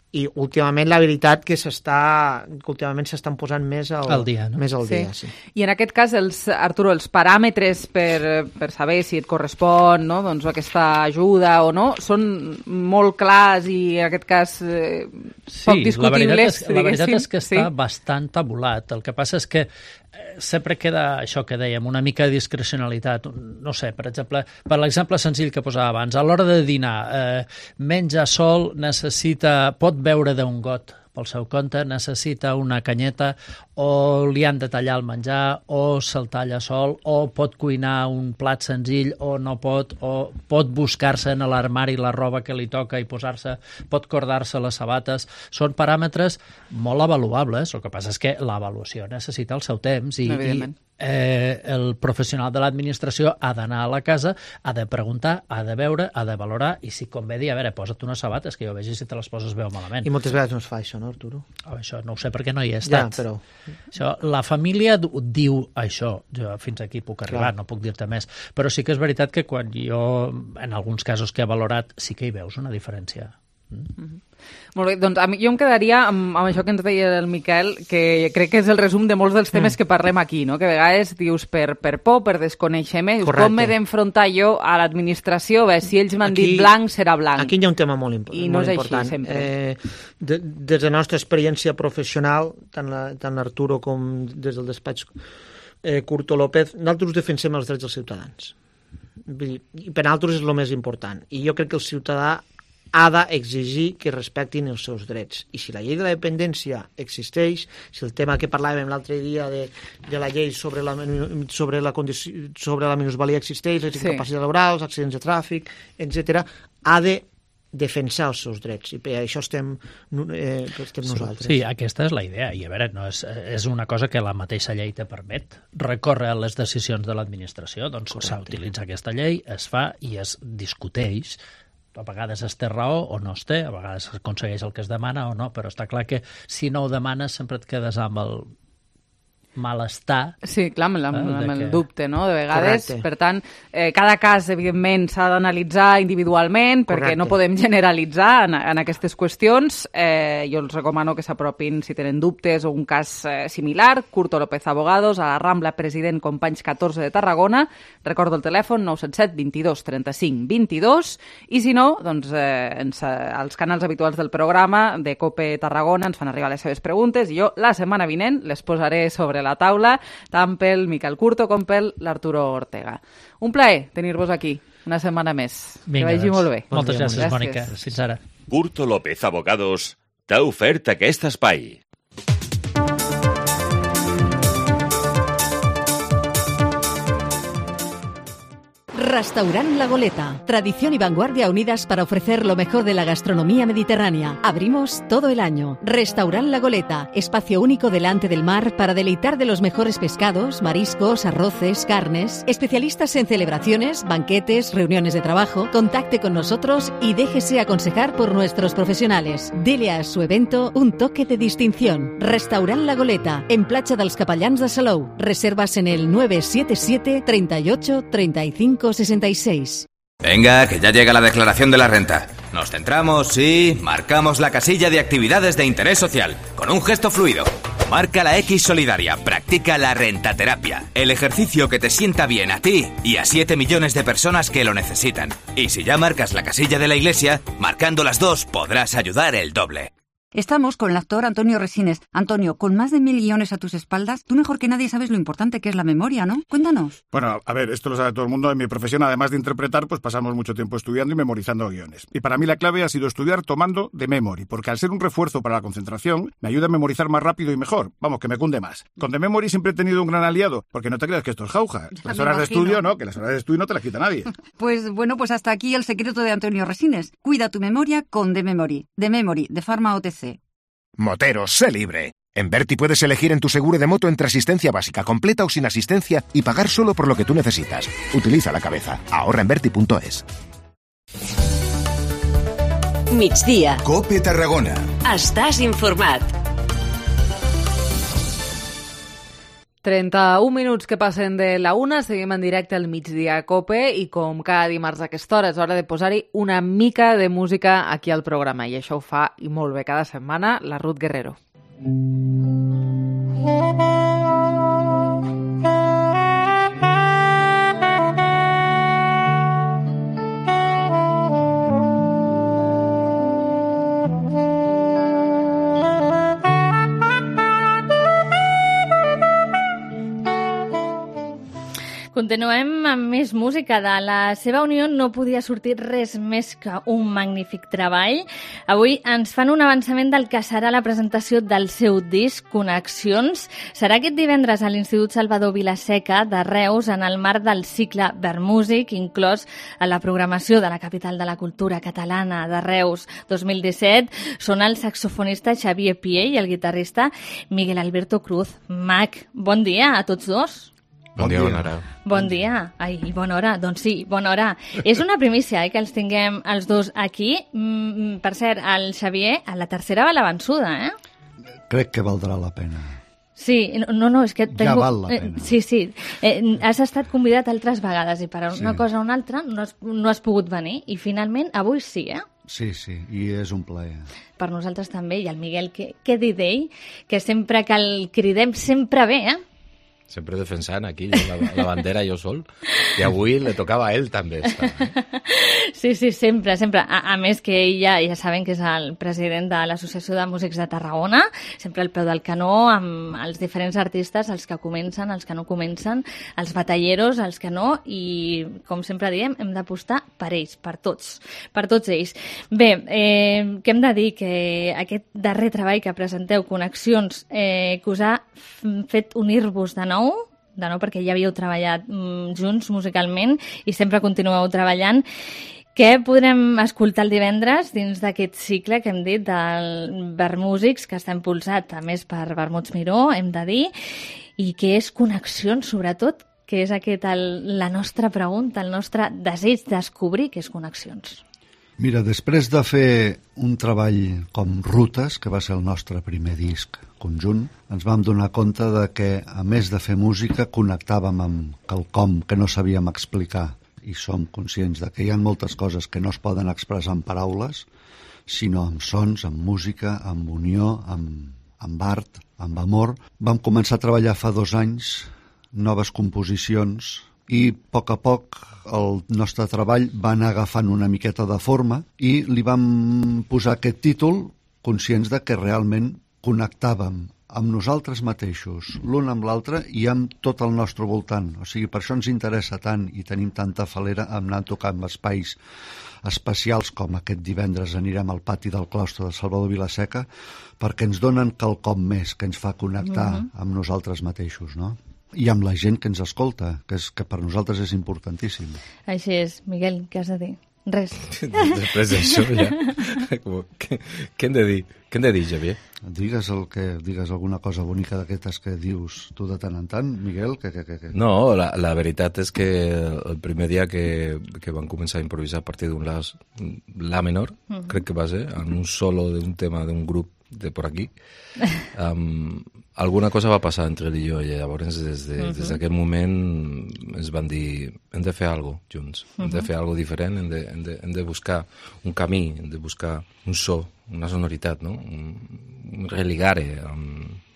I últimament la veritat que últimament s'estan posant més al dia, no? Més al dia, sí. I en aquest cas, Arturo, els paràmetres per saber si et correspon, no?, doncs aquesta ajuda o no, són molt clars i en aquest cas poc discutibles. La veritat és que està bastant tabulat. El que passa és que sempre queda això que dèiem, una mica de discrecionalitat. No sé, per l'exemple senzill que posava abans, a l'hora de dinar, menja sol, pot beure d'un got pel seu compte, necessita una canyeta, o li han de tallar el menjar, o se'l talla sol, o pot cuinar un plat senzill, o no pot, o pot buscar-se en l'armari la roba que li toca i posar-se, pot cordar-se les sabates. Són paràmetres molt avaluables, el que passa és que l'avaluació necessita el seu temps i el professional de l'administració ha d'anar a la casa, ha de preguntar, ha de veure, ha de valorar i si convé dir, a veure, posa't unes sabates que jo vegi si te les poses bé o malament. I moltes vegades no es fa això, no, Arturo? Això no ho sé perquè no hi he estat. Ja, però... la família diu això, jo fins aquí puc arribar, no puc dir-te més, però sí que és veritat que quan jo, en alguns casos que he valorat, sí que hi veus una diferència. Molt bé, doncs jo em quedaria amb això que ens deia el Miquel, que crec que és el resum de molts dels temes que parlem aquí, no? Que a vegades dius per por, per desconeixement, com m'he d'enfrontar jo a l'administració, si ells m'han dit blanc, serà blanc. Aquí hi ha un tema molt important. I no és així, sempre. Des de la nostra experiència professional, tant l'Arturo com des del despatx Curto López, nosaltres defensem els drets dels ciutadans. I per nosaltres és el més important. I jo crec que el ciutadà ha d'exigir que respectin els seus drets. I si la llei de la dependència existeix, si el tema que parlàvem l'altre dia de la llei sobre la minusvalia existeix, les incapacitats laborals, accidents de tràfic, etc., ha de defensar els seus drets, i per això estem nosaltres. Sí, aquesta és la idea, i a veure, no és una cosa que la mateixa llei te permet, recórrer a les decisions de l'administració, doncs s'utilitza aquesta llei, es fa i es discuteix. A vegades es té raó o no es té, a vegades s'aconsegueix el que es demana o no, però està clar que si no ho demanes sempre et quedes amb el malestar. Sí, clar, amb el dubte, no?, de vegades. Correcte. Per tant, cada cas, evidentment, s'ha d'analitzar individualment, perquè no podem generalitzar en aquestes qüestions. Jo els recomano que s'apropin, si tenen dubtes o un cas similar, Curto López Abogados, a la Rambla President Companys 14 de Tarragona. Recordo el telèfon 977 22 35 22, i si no, doncs als canals habituals del programa de COPE Tarragona ens fan arribar les seves preguntes i jo la setmana vinent les posaré sobre la taula, tant pel Miquel Curto com pel l'Arturo Ortega. Un plaer tenir-vos aquí una setmana més. Vinga, que vagi molt bé. Moltes gràcies, Mònica. Fins ara. Curto López Abogados t'ha ofert aquest espai. Restaurant La Goleta. Tradición y vanguardia unidas para ofrecer lo mejor de la gastronomía mediterránea. Abrimos todo el año. Restaurant La Goleta. Espacio único delante del mar para deleitar de los mejores pescados, mariscos, arroces, carnes. Especialistas en celebraciones, banquetes, reuniones de trabajo. Contacte con nosotros y déjese aconsejar por nuestros profesionales. Dele a su evento un toque de distinción. Restaurant La Goleta. En Platja dels Capellans de Salou. Reservas en el 977 38 35 66. Venga, que ya llega la declaración de la renta. Nos centramos y marcamos la casilla de actividades de interés social, con un gesto fluido. Marca la X solidaria, practica la rentaterapia, el ejercicio que te sienta bien a ti y a 7 millones de personas que lo necesitan. Y si ya marcas la casilla de la iglesia, marcando las dos podrás ayudar el doble. Estamos con el actor Antonio Resines. Antonio, con más de 1.000 guiones a tus espaldas, tú mejor que nadie sabes lo importante que es la memoria, ¿no? Cuéntanos. Bueno, a ver, esto lo sabe todo el mundo. En mi profesión, además de interpretar, pues pasamos mucho tiempo estudiando y memorizando guiones. Y para mí la clave ha sido estudiar tomando de memory, porque al ser un refuerzo para la concentración, me ayuda a memorizar más rápido y mejor. Vamos, que me cunde más. Con The Memory siempre he tenido un gran aliado, porque no te creas que esto es jauja. Las horas de estudio, no, que las horas de estudio no te las quita nadie. Pues bueno, pues hasta aquí el secreto de Antonio Resines. Cuida tu memoria con The Memory. The Memory, de Pharma OTC. Motero, sé libre. En Berti puedes elegir en tu seguro de moto entre asistencia básica, completa o sin asistencia y pagar solo por lo que tú necesitas. Utiliza la cabeza. Ahorra en Berti.es. Migdia. COPE Tarragona. Estàs informat. 31 minuts que passen de la 1, seguim en directe al migdia a COPE i com cada dimarts a aquesta hora és hora de posar-hi una mica de música aquí al programa i això ho fa i molt bé cada setmana la Ruth Guerrero. Continuem amb més música. De la seva unió no podia sortir res més que un magnífic treball. Avui ens fan un avançament del que serà la presentació del seu disc Connexions. Serà aquest divendres a l'Institut Salvador Vilaseca de Reus en el marc del cicle Vermúsic, inclòs a la programació de la capital de la cultura catalana de Reus 2017. Són el saxofonista Xavier Pié i el guitarrista Miguel Alberto Cruz. Mac, bon dia a tots dos. Bon dia, bona hora. Bon dia. Ai, bona hora. Doncs sí, bona hora. És una primícia, que els tinguem els dos aquí. Per cert, el Xavier, a la tercera va la vençuda, Crec que valdrà la pena. Sí, no, és que... Ja val la pena. Sí. Has estat convidat altres vegades i per una cosa o una altra no has pogut venir i finalment avui sí, Sí, i és un plaer. Per nosaltres també, i el Miguel, què dir d'ell? Que sempre que el cridem sempre ve, Sempre defensant aquí la bandera jo sol. I avui le tocava a ell també estar. Sí, sempre. A més que ell ja saben que és el president de l'Associació de Músics de Tarragona, sempre al peu del canó, amb els diferents artistes, els que comencen, els que no comencen, els batalleros, els que no, i com sempre diem, hem d'apostar per ells, per tots ells. Bé, què hem de dir? Que aquest darrer treball que presenteu, Connexions, que us ha fet unir-vos de nou perquè ja havíeu treballat junts musicalment i sempre continueu treballant. Què podrem escoltar el divendres dins d'aquest cicle que hem dit del Vermúsics, que està impulsat a més per Vermuts Miró, hem de dir, i que és Connexions, sobretot, que és la nostra pregunta, el nostre desig descobrir què és Connexions. Mira, després de fer un treball com Rutes, que va ser el nostre primer disc conjunt, ens vam donar compte de que, a més de fer música, connectàvem amb quelcom que no sabíem explicar. I som conscients de que hi ha moltes coses que no es poden expressar en paraules, sinó amb sons, amb música, amb unió, amb art, amb amor. Vam començar a treballar fa 2 anys noves composicions i a poc el nostre treball va anar agafant una miqueta de forma i li vam posar aquest títol conscients de que realment connectàvem amb nosaltres mateixos, l'un amb l'altre i amb tot el nostre voltant. O sigui, per això ens interessa tant i tenim tanta falera amb anar tocant espais especials com aquest divendres anirem al pati del claustre de Salvador Vilaseca, perquè ens donen quelcom més que ens fa connectar amb nosaltres mateixos, no? I amb la gent que ens escolta, que per nosaltres és importantíssim. Així és. Miguel, què has de dir? Res. Després d'això ja... Què hem de dir? Què hem de dir, Xavier? Digues alguna cosa bonica d'aquestes que dius tu de tant en tant, Miguel. No, la veritat és que el primer dia que van començar a improvisar a partir d'un la menor, crec que va ser, en un solo d'un tema d'un grup de por aquí, alguna cosa va passar entre ell i jo, i llavors des d'aquest moment ens van dir hem de fer alguna cosa junts, hem de fer alguna cosa diferent, hem de buscar un camí, hem de buscar un so, una sonoritat, no? Un religare,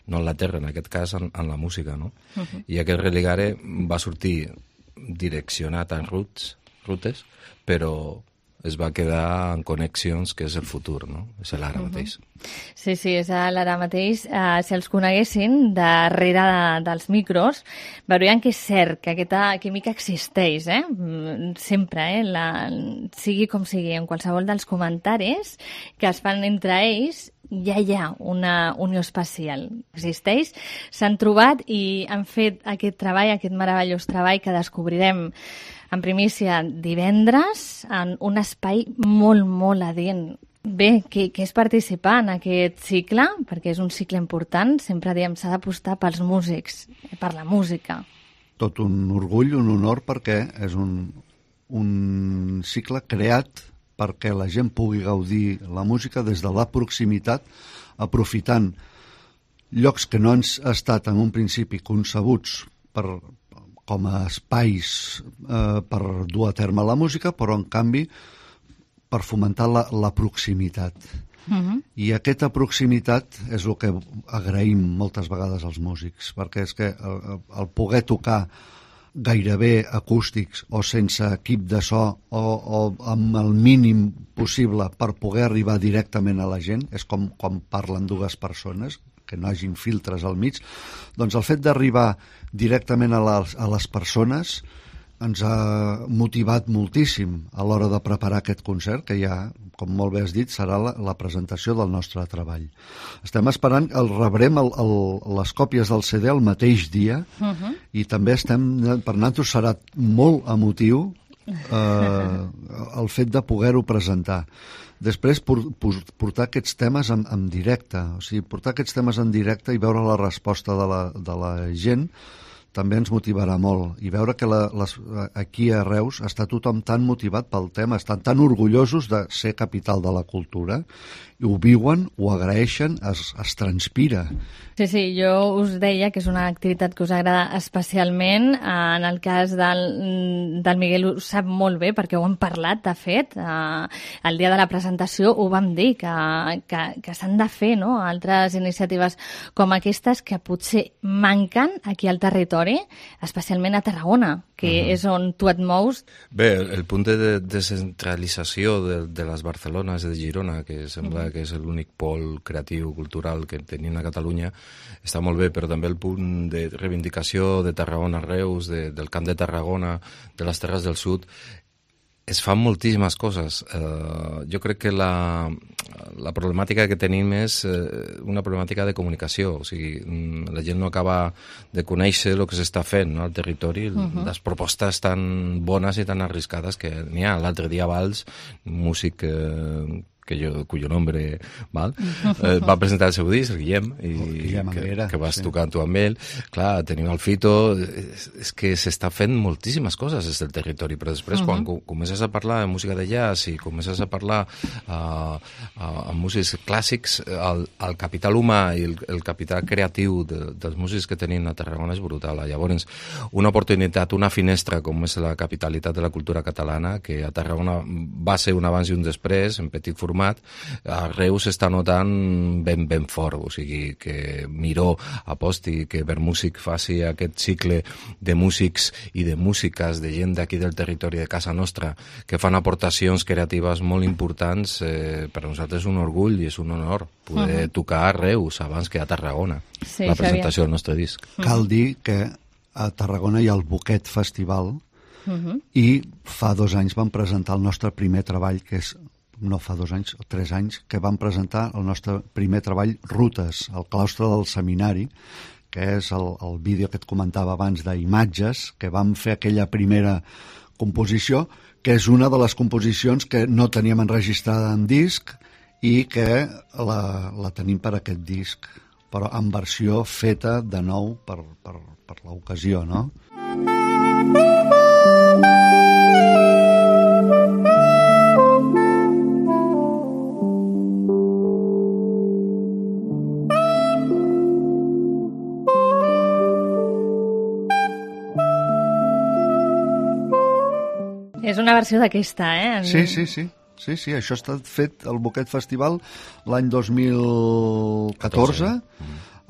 no en la terra, en aquest cas en la música, no? I aquest religare va sortir direccionat a rutes, però es va quedar en connexions, que és el futur, no? És l'ara mateix. Sí, és l'ara mateix. Si els coneguessin darrere dels micros, veurien que és cert que aquesta química existeix, sempre, sigui com sigui, en qualsevol dels comentaris que es fan entre ells, ja hi ha una unió espacial. Existeix, s'han trobat i han fet aquest treball, aquest meravellós treball que descobrirem en primícia divendres en un espai molt, molt adient. Bé, què és participar en aquest cicle? Perquè és un cicle important. Sempre diem s'ha d'apostar pels músics, per la música. Tot un orgull, un honor, perquè és un cicle creat perquè la gent pugui gaudir la música des de la proximitat, aprofitant llocs que no han estat en un principi concebuts com a espais per dur a terme la música, però en canvi per fomentar la proximitat. I aquesta proximitat és el que agraïm moltes vegades als músics, perquè és que el poder tocar gairebé acústics o sense equip de so o amb el mínim possible per poder arribar directament a la gent, és com quan parlen dues persones, que no hagin filtres al mig, doncs el fet d'arribar directament a les persones ens ha motivat moltíssim a l'hora de preparar aquest concert, que ja, com molt bé has dit, serà la presentació del nostre treball. Estem esperant, rebrem les còpies del CD el mateix dia i també per nosaltres serà molt emotiu el fet de poder-ho presentar. Després, portar aquests temes en directe, o sigui, portar aquests temes en directe i veure la resposta de la gent també ens motivarà molt. I veure que aquí a Reus està tothom tan motivat pel tema, estan tan orgullosos de ser capital de la cultura, i ho viuen, ho agraeixen, es transpira. Sí, jo us deia que és una activitat que us agrada especialment. En el cas del Miguel ho sap molt bé, perquè ho hem parlat, de fet. El dia de la presentació ho vam dir, que s'han de fer, no?, altres iniciatives com aquestes que potser manquen aquí al territori, especialment a Tarragona, que és on tu et mous. Bé, el punt de descentralització de les Barcelones i de Girona, que sembla que és l'únic pol creatiu, cultural que tenim a Catalunya, està molt bé, però també el punt de reivindicació de Tarragona-Reus, del Camp de Tarragona, de les Terres del Sud, es fan moltíssimes coses. Jo crec que la problemàtica que tenim és una problemàtica de comunicació. O sigui, la gent no acaba de conèixer el que s'està fent, no?, al territori. Les propostes tan bones i tan arriscades que n'hi ha. L'altre dia Valls, un músic cuyo nombre va presentar el seu disc, el Guillem, que vas tocar tu amb ell. Clar, tenim el Fito, és que s'està fent moltíssimes coses des del territori, però després quan comences a parlar de música de jazz i comences a parlar amb músics clàssics, el capital humà i el capital creatiu dels músics que tenim a Tarragona és brutal. Llavors, una oportunitat, una finestra com és la capitalitat de la cultura catalana, que a Tarragona va ser un abans i un després, en petit format, format, a Reus s'està notant ben fort, o sigui, que Miró aposti, que Vermúsic faci aquest cicle de músics i de músiques, de gent d'aquí del territori de casa nostra, que fan aportacions creatives molt importants. Per nosaltres és un orgull i és un honor poder tocar a Reus abans que a Tarragona, la presentació del nostre disc. Cal dir que a Tarragona hi ha el Boquet Festival i fa 2 anys vam presentar el nostre primer treball, que és, no fa 2 anys, 3 anys, que vam presentar el nostre primer treball, Rutes, al claustre del seminari, que és el vídeo que et comentava abans d'Imatges, que vam fer aquella primera composició, que és una de les composicions que no teníem enregistrada en disc i que la tenim per aquest disc, però en versió feta de nou per l'ocasió, no? És una versió d'aquesta, eh? Sí, això ha estat fet al Boquet Festival l'any 2014,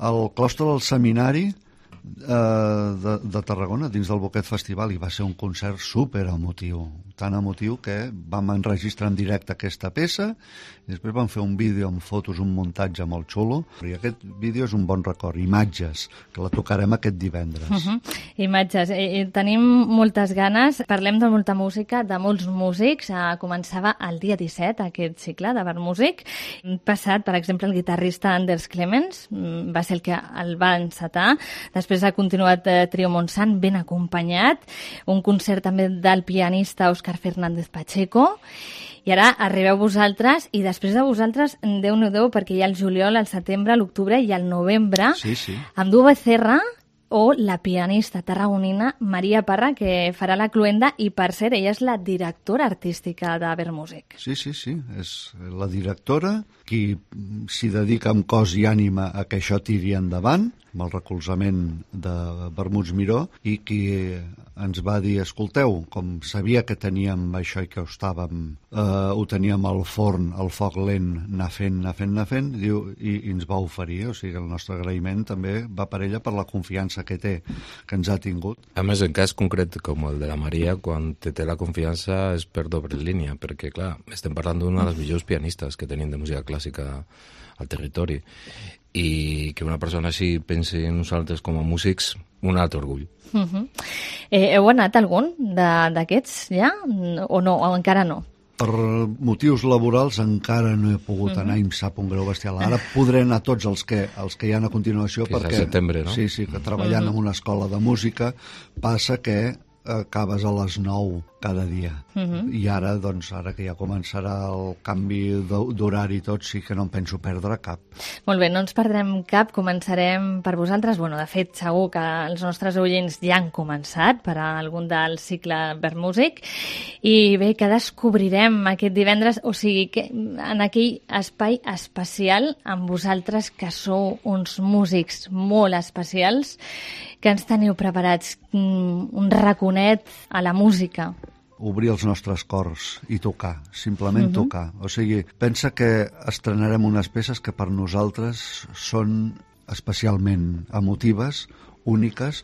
al claustre del seminari de Tarragona, dins del Boquet Festival, i va ser un concert super emotiu, tan emotiu que vam enregistrar en directe aquesta peça i després vam fer un vídeo amb fotos, un muntatge molt xulo, i aquest vídeo és un bon record. Imatges, que la tocarem aquest divendres. Imatges, tenim moltes ganes, parlem de molta música, de molts músics. Començava el dia 17 aquest cicle de Vermúsic. Passat, per exemple, el guitarrista Anders Clemens va ser el que el va encetar. Després ha continuat Trio Montsant ben acompanyat, un concert també del pianista Òscar Fernández Pacheco, i ara arribeu vosaltres, i després de vosaltres, Déu-n'hi-do, perquè hi ha el juliol, el setembre, l'octubre i el novembre, amb Du Becerra o la pianista tarragonina Maria Parra, que farà la cloenda, i per cert, ella és la directora artística de Vermúsic. Sí, és la directora, qui s'hi dedica amb cos i ànima a que això tiri endavant, amb el recolzament de Vermuts Miró, i qui ens va dir, escolteu, com sabia que teníem això i que ho teníem al forn, al foc lent, anar fent, diu, i ens va oferir, o sigui, el nostre agraïment també va per ella per la confiança que té, que ens ha tingut. A més, en cas concret com el de la Maria, quan té la confiança és per doble línia, perquè, clar, estem parlant d'una de les millors pianistes que tenim de música clàssica al territori, i que una persona així pensi en nosaltres com a músics, un altre orgull. Heu anat algun d'aquests ja? O no? O encara no? Per motius laborals encara no he pogut anar i em sap un greu bestial. Ara podré anar tots els que hi ha a continuació, que perquè... és a setembre, no? Sí, que treballant en una escola de música passa que acabes a les 9 cada dia. I ara, doncs, ara que ja començarà el canvi d'horari i tot, sí que no em penso perdre cap. Molt bé, no ens perdrem cap, començarem per vosaltres. Bueno, de fet, segur que els nostres oients ja han començat per a algun del cicle Vermúsic. I bé, que descobrirem aquest divendres, o sigui, que en aquell espai especial amb vosaltres, que sou uns músics molt especials, que ens teniu preparats un raconet a la música. Obrir els nostres cors i tocar, simplement tocar. O sigui, pensa que estrenarem unes peces que per nosaltres són especialment emotives, úniques,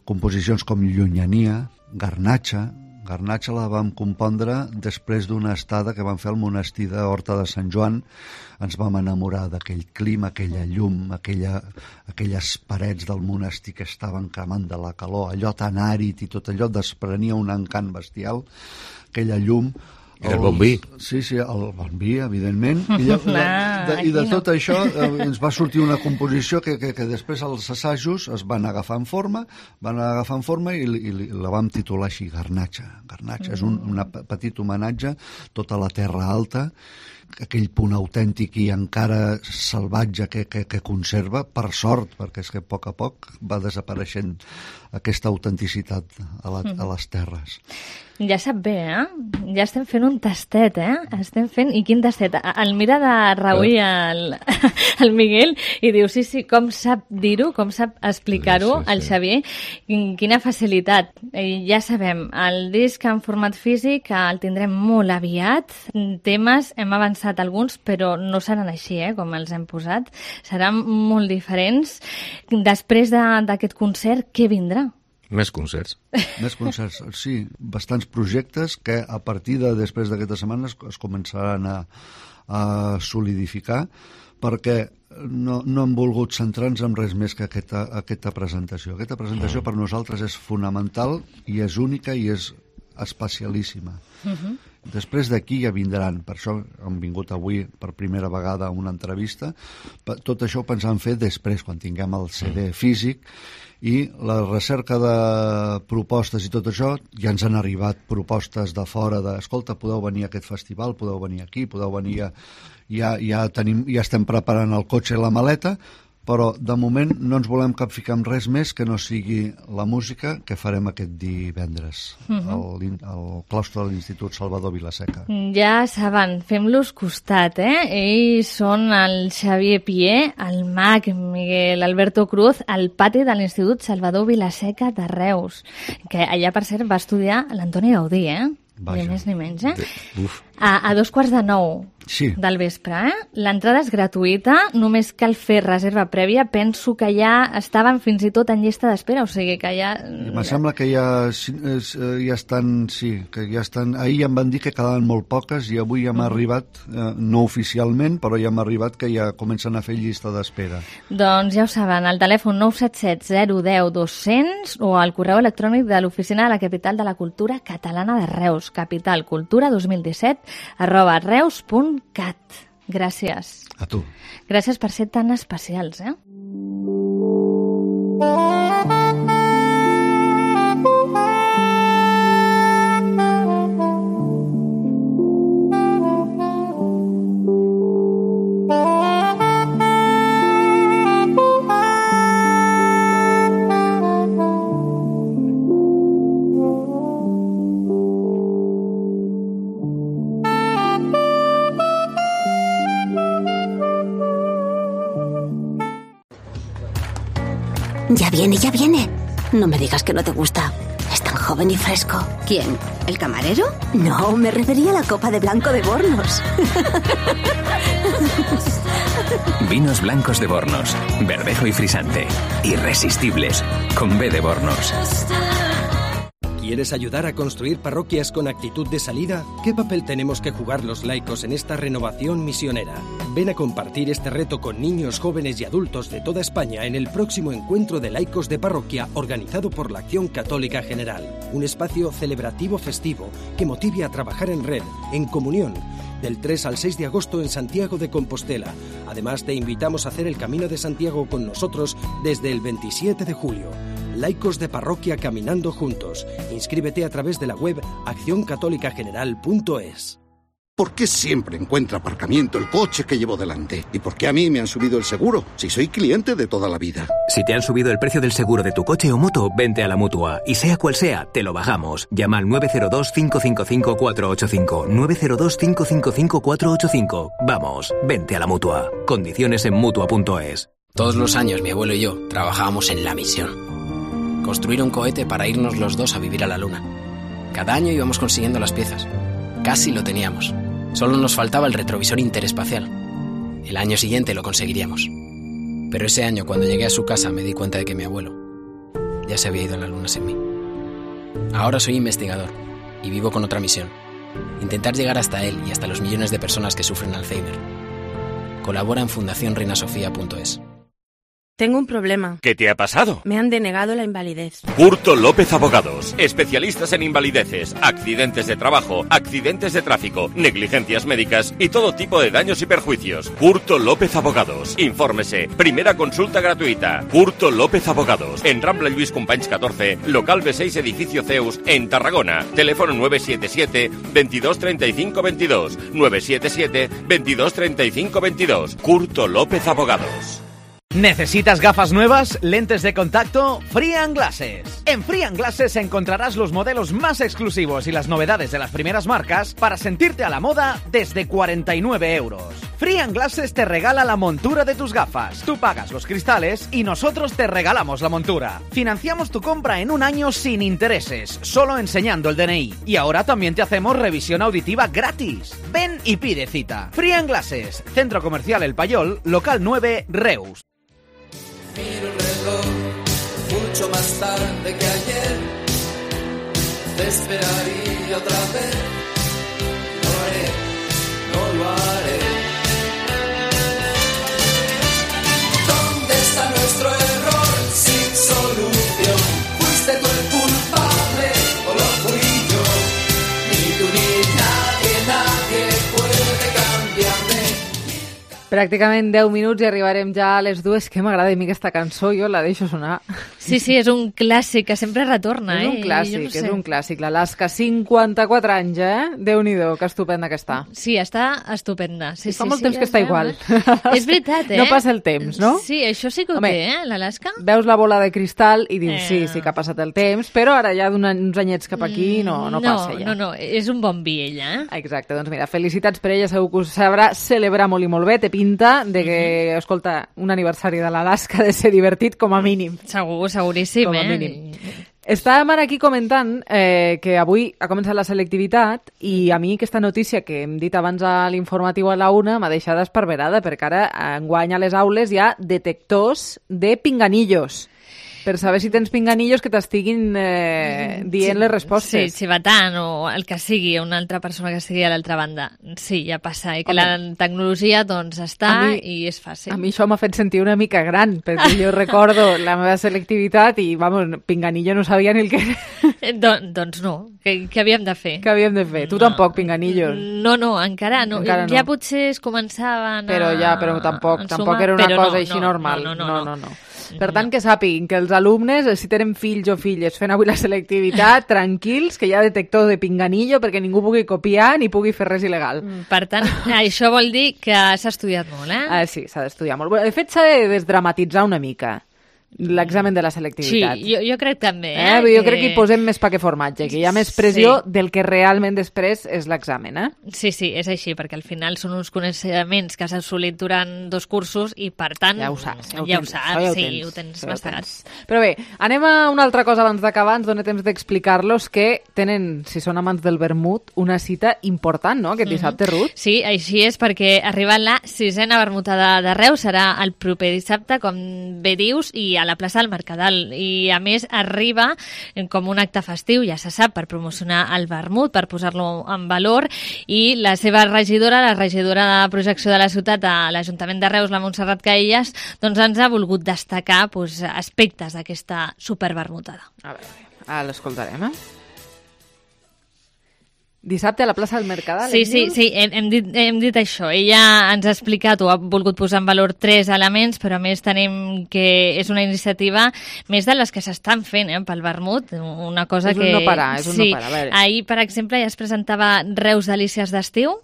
composicions com Llunyania, Garnatxa. Garnatxa la vam compondre després d'una estada que vam fer al monestir d'Horta de Sant Joan. Ens vam enamorar d'aquell clima, aquella llum, aquelles parets del monestir que estaven cremant de la calor, allò tan àrid i tot allò desprenia un encant bestial, aquella llum. El bon vi. Sí, el bon vi, evidentment. I de tot això ens va sortir una composició que després els assajos es van agafar en forma i la vam titular així, Garnatxa. Garnatxa és un petit homenatge a tota la Terra Alta, aquell punt autèntic i encara salvatge que conserva, per sort, perquè és que a poc va desapareixent aquesta autenticitat a les terres. Ja sap bé, Ja estem fent un tastet, Estem fent... I quin tastet? El mira de reüll el Miguel i diu, sí, com sap dir-ho, com sap explicar-ho el Xavier. Quina facilitat. Ja sabem, el disc en format físic el tindrem molt aviat. Temes, hem avançat pensat alguns, però no seran així, com els hem posat. Seran molt diferents. Després d'aquest concert, què vindrà? Més concerts. Més concerts, sí. Bastants projectes que a partir de després d'aquesta setmana es començaran a solidificar, perquè no hem volgut centrar-nos en res més que aquesta presentació. Aquesta presentació per nosaltres és fonamental i és única i és especialíssima. Després d'aquí ja vindran, per això hem vingut avui per primera vegada a una entrevista. Tot això ho pensàvem fer després, quan tinguem el CD físic, i la recerca de propostes i tot això, ja ens han arribat propostes de fora escolta, podeu venir a aquest festival, podeu venir aquí, podeu venir ja estem preparant el cotxe i la maleta, però de moment no ens volem capficar en res més que no sigui la música que farem aquest divendres al claustre de l'Institut Salvador Vilaseca. Ja saben, fem-los costat, Ells són el Xavier Pié, el Mag Miguel Alberto Cruz, al pati de l'Institut Salvador Vilaseca de Reus, que allà, per cert, va estudiar l'Antoni Gaudí, Ni més ni menys, A 8:45 del vespre, L'entrada és gratuïta, només cal fer reserva prèvia. Penso que ja estaven fins i tot en llista d'espera, o sigui que ja... Em sembla que ja estan, que ja estan... Ahir ja em van dir que quedaven molt poques i avui ja m'ha arribat, no oficialment, però ja m'ha arribat que ja comencen a fer llista d'espera. Doncs ja ho saben, al telèfon 977 010 200 o al correu electrònic de l'Oficina de la Capital de la Cultura Catalana de Reus, capitalcultura2017@reus.cat. Gràcies. A tu. Gràcies per ser tan especials, Ya viene, ya viene. No me digas que no te gusta. Es tan joven y fresco. ¿Quién? ¿El camarero? No, me refería a la copa de blanco de Bornos. Vinos blancos de Bornos. Verdejo y frisante. Irresistibles. Con B de Bornos. ¿Quieres ayudar a construir parroquias con actitud de salida? ¿Qué papel tenemos que jugar los laicos en esta renovación misionera? Ven a compartir este reto con niños, jóvenes y adultos de toda España en el próximo encuentro de laicos de parroquia organizado por la Acción Católica General. Un espacio celebrativo festivo que motive a trabajar en red, en comunión, del 3 al 6 de agosto en Santiago de Compostela. Además, te invitamos a hacer el Camino de Santiago con nosotros desde el 27 de julio. Laicos de Parroquia caminando juntos. Inscríbete a través de la web accioncatolicageneral.es. ¿Por qué siempre encuentra aparcamiento el coche que llevo delante? ¿Y por qué a mí me han subido el seguro, si soy cliente de toda la vida? Si te han subido el precio del seguro de tu coche o moto, vente a la Mutua. Y sea cual sea, te lo bajamos. Llama al 902-555-485. 902-555-485. Vamos, vente a la Mutua. Condiciones en Mutua.es. Todos los años mi abuelo y yo trabajábamos en la misión. Construir un cohete para irnos los dos a vivir a la Luna. Cada año íbamos consiguiendo las piezas. Casi lo teníamos. Solo nos faltaba el retrovisor interespacial. El año siguiente lo conseguiríamos. Pero ese año, cuando llegué a su casa, me di cuenta de que mi abuelo ya se había ido a la Luna sin mí. Ahora soy investigador y vivo con otra misión. Intentar llegar hasta él y hasta los millones de personas que sufren Alzheimer. Colabora en fundacionreinasofía.es. Tengo un problema. ¿Qué te ha pasado? Me han denegado la invalidez. Curto López Abogados. Especialistas en invalideces, accidentes de trabajo, accidentes de tráfico, negligencias médicas y todo tipo de daños y perjuicios. Curto López Abogados. Infórmese. Primera consulta gratuita. Curto López Abogados. En Rambla Lluís Companys 14, local B6, edificio Zeus, en Tarragona. Teléfono 977 22 35 22. 977 22 35 22. Curto López Abogados. ¿Necesitas gafas nuevas? ¿Lentes de contacto? Free & Glasses. En Free & Glasses encontrarás los modelos más exclusivos y las novedades de las primeras marcas para sentirte a la moda desde 49 euros. Frian Glasses te regala la montura de tus gafas. Tú pagas los cristales y nosotros te regalamos la montura. Financiamos tu compra en un año sin intereses, solo enseñando el DNI. Y ahora también te hacemos revisión auditiva gratis. Ven y pide cita. Frian Glasses, Centro Comercial El Payol, local 9, Reus. Miro el reloj, mucho más tarde que ayer. Te esperaría otra vez. No lo haré. ¿Dónde está nuestro error sin solución? ¿Fuiste tú el culpable o lo fui yo? Ni tú ni nadie puede cambiarme. Pràcticament 10 minuts i arribarem ja a les 2. Que m'agrada a mi aquesta cançó, jo la deixo sonar. Sí, és un clàssic que sempre retorna. És un clàssic, no sé. És un clàssic. L'Alaska, 54 anys, Déu-n'hi-do, que estupenda que està. Sí, està estupenda. Sí, fa molt temps que està igual. És veritat, No passa el temps, no? Sí, això sí que ho té, l'Alaska. Veus la bola de cristal i dius, sí que ha passat el temps, però ara ja d'uns anyets cap aquí no passa ja. No, és un bon vi, ella. Exacte, doncs mira, felicitats per ella, segur que us sabrà celebrar molt i molt bé, té pinta de que, escolta, un aniversari de l'Alaska ha de ser divertit com a mínim. Seguríssim, com a mínim. Estàvem ara aquí comentant que avui ha començat la selectivitat i a mi aquesta notícia que hem dit abans a l'informatiu a la 1 m'ha deixat esparverada perquè ara enguany a les aules hi ha detectors de pinganillos per saber si tens pinganillos que t'estiguin dient les respostes. Sí, xivatant o el que sigui, una altra persona que estigui a l'altra banda. Sí, ja passa. I que la tecnologia doncs està i és fàcil. A mi això m'ha fet sentir una mica gran, perquè jo recordo la meva selectivitat i, vamos, pinganillo no sabia ni el que era. Doncs no. Què havíem de fer? Què havíem de fer? Tu tampoc, pinganillos? No, encara no. Ja potser es començaven però tampoc era una cosa així normal. No. Per tant, que sàpiguin que els alumnes, si tenen fills o filles fent avui la selectivitat, tranquils, que hi ha detector de pinganillo perquè ningú pugui copiar ni pugui fer res il·legal. Per tant, això vol dir que s'ha estudiat molt, Sí, s'ha d'estudiar molt. De fet, s'ha de desdramatitzar una mica l'examen de la selectivitat. Sí, jo crec també. Jo crec que hi posem més pa que formatge, que hi ha més pressió del que realment després és l'examen. Sí, és així, perquè al final són uns coneixements que has assolit durant 2 cursos i, per tant, ja ho saps. Ho tens mastegat. Però bé, anem a una altra cosa abans d'acabar, ens dona temps d'explicar-los que tenen, si són amants del vermut, una cita important, no?, aquest dissabte, Ruth? Sí, així és, perquè arriba la 6a vermutada de Reus, serà el proper dissabte, com bé dius, i a la plaça del Mercadal, i a més arriba com un acte festiu, ja se sap, per promocionar el vermut, per posar-lo en valor, i la seva regidora, la regidora de projecció de la ciutat a l'Ajuntament de Reus, la Montserrat Caillas, doncs ens ha volgut destacar aspectes d'aquesta supervermutada. A veure, l'escoltarem, Dissabte a la plaça del Mercadal. Sí, hem dit això. Ella ens ha explicat o ha volgut posar en valor 3 elements, però a més tenim que és una iniciativa més de les que s'estan fent pel vermut, una cosa que... És un no parar. Ahir, per exemple, ja es presentava Reus Delícies d'Estiu,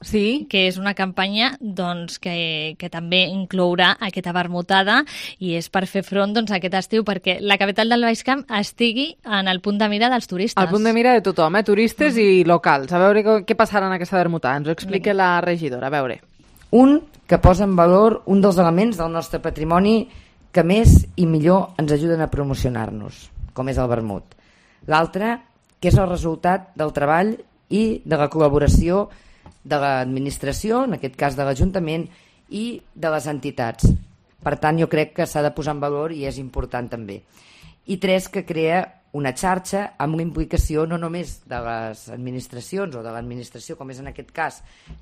que és una campanya que també inclourà aquesta vermutada i és per fer front a aquest estiu perquè la capital del Baix Camp estigui en el punt de mira dels turistes. Al punt de mira de tothom, turistes i locals. A veure què passarà en aquesta vermutada. Ens ho explica la regidora. A veure. Un que posa en valor un dels elements del nostre patrimoni que més i millor ens ajuden a promocionar-nos, com és el vermut. L'altre, que és el resultat del treball i de la col·laboració de l'administració, en aquest cas de l'Ajuntament, i de les entitats. Per tant, jo crec que s'ha de posar en valor i és important també. I 3, que crea una xarxa amb una implicació no només de les administracions o de l'administració, com és en aquest cas,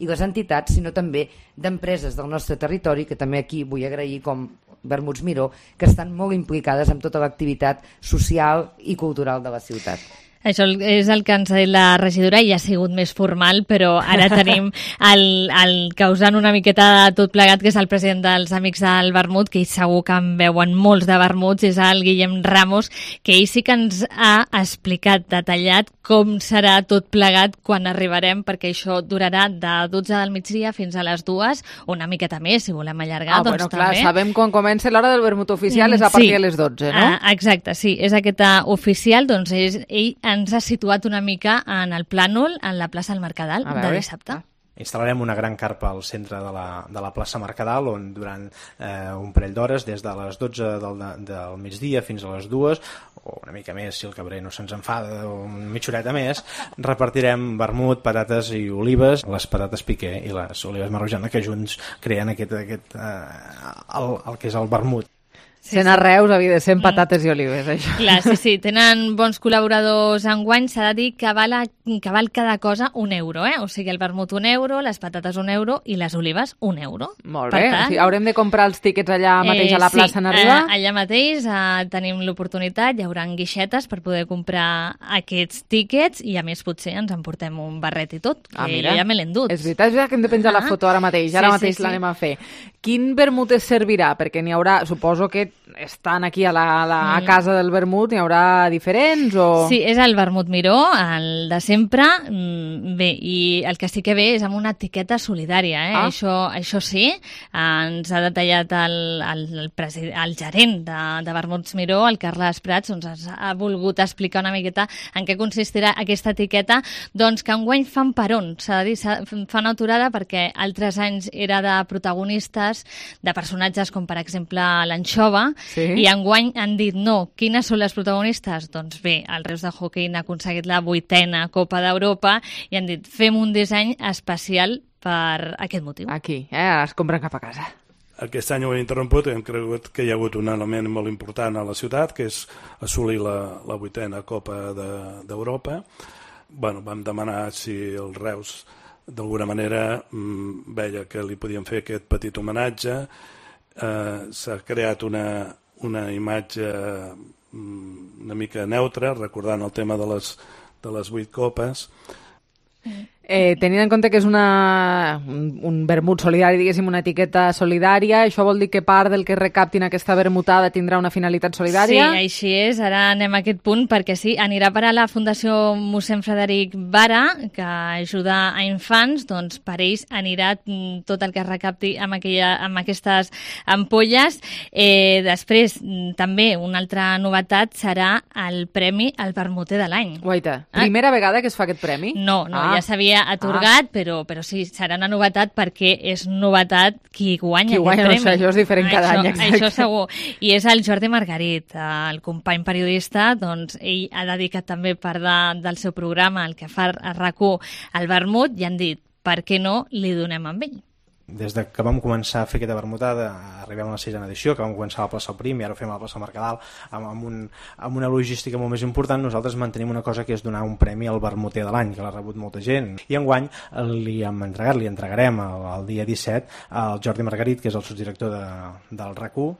i les entitats, sinó també d'empreses del nostre territori, que també aquí vull agrair com Vermuts Miró, que estan molt implicades en tota l'activitat social i cultural de la ciutat. Això és el que ens ha dit la regidora i ha sigut més formal, però ara tenim el causant una miqueta de tot plegat, que és el president dels Amics del Vermut, que segur que en veuen molts de vermuts, és el Guillem Ramos, que ell sí que ens ha explicat detallat com serà tot plegat quan arribarem, perquè això durarà de 12 del migdia fins a les 2, una miqueta més, si volem allargar, doncs clar, també. Sabem quan comença l'hora del vermut oficial, és a partir de les 12, no? Exacte, sí, és aquesta oficial, doncs ell ens ha situat una mica en el plànol, en la plaça del Mercadal de dissabte. instal·larem una gran carpa al centre de la plaça Mercadal, on durant un parell d'hores, des de les 12 del migdia fins a les 2, o una mica més si el cabrer no se'ns enfada, o una mitja horeta més, repartirem vermut, patates i olives, les patates piqué i les olives marrojana, que junts creen el que és el vermut. Sent a Reus havia de ser patates i olives, això. Clar, sí, tenen bons col·laboradors enguany. S'ha de dir que val cada cosa €1, O sigui, el vermut €1, les patates €1 i les olives €1. Molt bé, o sigui, haurem de comprar els tíquets allà mateix a la plaça en arribar? Sí, allà mateix tenim l'oportunitat, hi haurà guixetes per poder comprar aquests tíquets i a més potser ens emportem un barret i tot, que jo ja me l'he endut. És veritat que hem de penjar la foto ara mateix, l'anem a fer. Quin vermut es servirà? Perquè n'hi haurà, suposo que estan aquí a casa del vermut, n'hi haurà diferents o...? Sí, és el vermut Miró, el de sempre. Bé, i el que sí que ve és amb una etiqueta solidària, Això sí, ens ha detallat el gerent de Vermuts Miró, el Carles Prats, ens ha volgut explicar una miqueta en què consistirà aquesta etiqueta, doncs que enguany fan peron, s'ha de dir, fan aturada perquè altres anys era de protagonistes, de personatges com per exemple l'anxova, i enguany han dit no. Quines són les protagonistes? Doncs bé, el Reus de Hockey n'ha aconseguit la 8a Copa d'Europa i han dit fem un disseny especial per aquest motiu. Aquí, ara es compren cap a casa. Aquest any ho he interromput i hem cregut que hi ha hagut un element molt important a la ciutat, que és assolir la 8a Copa d'Europa. Vam demanar si el Reus d'alguna manera veia que li podíem fer aquest petit homenatge. S'ha creat una imatge una mica neutra, recordant el tema de les 8 copes. Tenint en compte que és un vermut solidari, diguéssim, una etiqueta solidària, això vol dir que part del que recaptin aquesta vermutada tindrà una finalitat solidària? Sí, així és. Ara anem a aquest punt perquè sí, anirà per a la Fundació mossèn Frederic Vara, que ajuda a infants, doncs per ells anirà tot el que es recapti amb aquestes ampolles. Després, també, una altra novetat serà el Premi al Vermuter de l'any. Guaita, primera vegada que es fa aquest premi? No, ja s'havia atorgat, però sí, serà una novetat perquè és novetat qui guanya aquest premi. No sé, això és diferent cada any. Això segur. I és el Jordi Margarit, el company periodista, doncs ell ha dedicat també part del seu programa, el que fa a RAC1, al vermut, i han dit, per què no li donem amb ell? Des que vam començar a fer aquesta vermutada, arribem a la 6a edició, que vam començar a la plaça Prim i ara ho fem a la plaça Mercadal, amb una logística molt més important. Nosaltres mantenim una cosa que és donar un premi al vermuter de l'any, que l'ha rebut molta gent. I enguany li entregarem el dia 17 al Jordi Margarit, que és el subdirector del RAC1,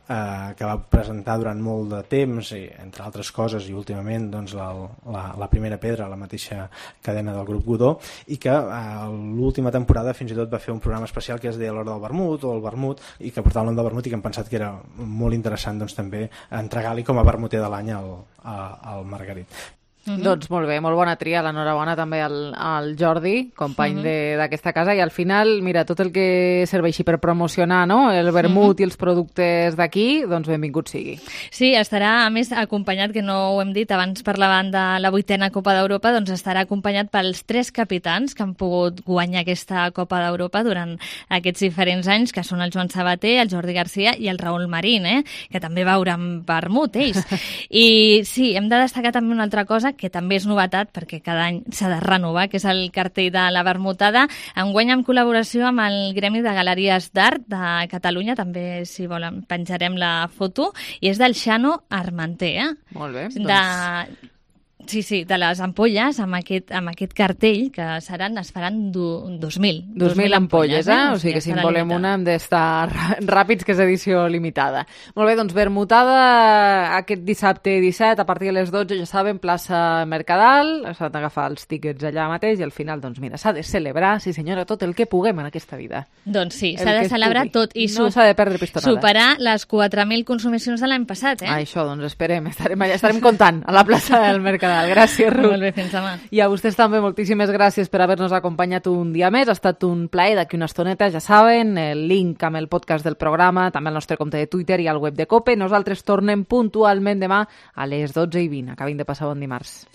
que va presentar durant molt de temps, i, entre altres coses, i últimament doncs, la primera pedra, la mateixa cadena del grup Godó, i que l'última temporada fins i tot va fer un programa especial que es deia l'hora del vermut, o el vermut, i que portava el nom del vermut, i que hem pensat que era molt interessant doncs, també entregar-li com a vermuter de l'any al Margarit. Doncs molt bé, molt bona tria, l'enhorabona també al Jordi, company d'aquesta casa, i al final, mira, tot el que serveixi per promocionar, no?, el vermut i els productes d'aquí, doncs benvingut sigui. Sí, estarà, a més, acompanyat, que no ho hem dit, abans parlaven de la 8a Copa d'Europa, doncs estarà acompanyat pels 3 capitans que han pogut guanyar aquesta Copa d'Europa durant aquests diferents anys, que són el Joan Sabater, el Jordi Garcia i el Raül Marín, que també veuran vermut, ells. I sí, hem de destacar també una altra cosa, que també és novetat perquè cada any s'ha de renovar, que és el cartell de la vermutada. Enguany en col·laboració amb el Gremi de Galeries d'Art de Catalunya, també, si volen, penjarem la foto, i és del Xano Armanter. Molt bé. Sí, de les ampolles, amb aquest cartell, que es faran 2.000. 2.000 ampolles, O sigui que si en volem una hem d'estar ràpids, que és edició limitada. Molt bé, doncs vermutada aquest dissabte 17, a partir de les 12, ja saben, plaça Mercadal, s'han d'agafar els tíquets allà mateix, i al final, doncs mira, s'ha de celebrar, sí senyora, tot el que puguem en aquesta vida. Doncs sí, s'ha de celebrar tot, i no s'ha de perdre pistonada. Superar les 4.000 consumicions de l'any passat, Això, doncs esperem, estarem comptant a la plaça del Mercadal. Gràcies, Ruth. Molt bé, fins demà. I a vostès també moltíssimes gràcies per haver-nos acompanyat un dia més. Ha estat un plaer. D'aquí una estoneta, ja saben, el link amb el podcast del programa, també al nostre compte de Twitter i al web de COPE. Nosaltres tornem puntualment demà a les 12:20. Acabin de passar bon dimarts.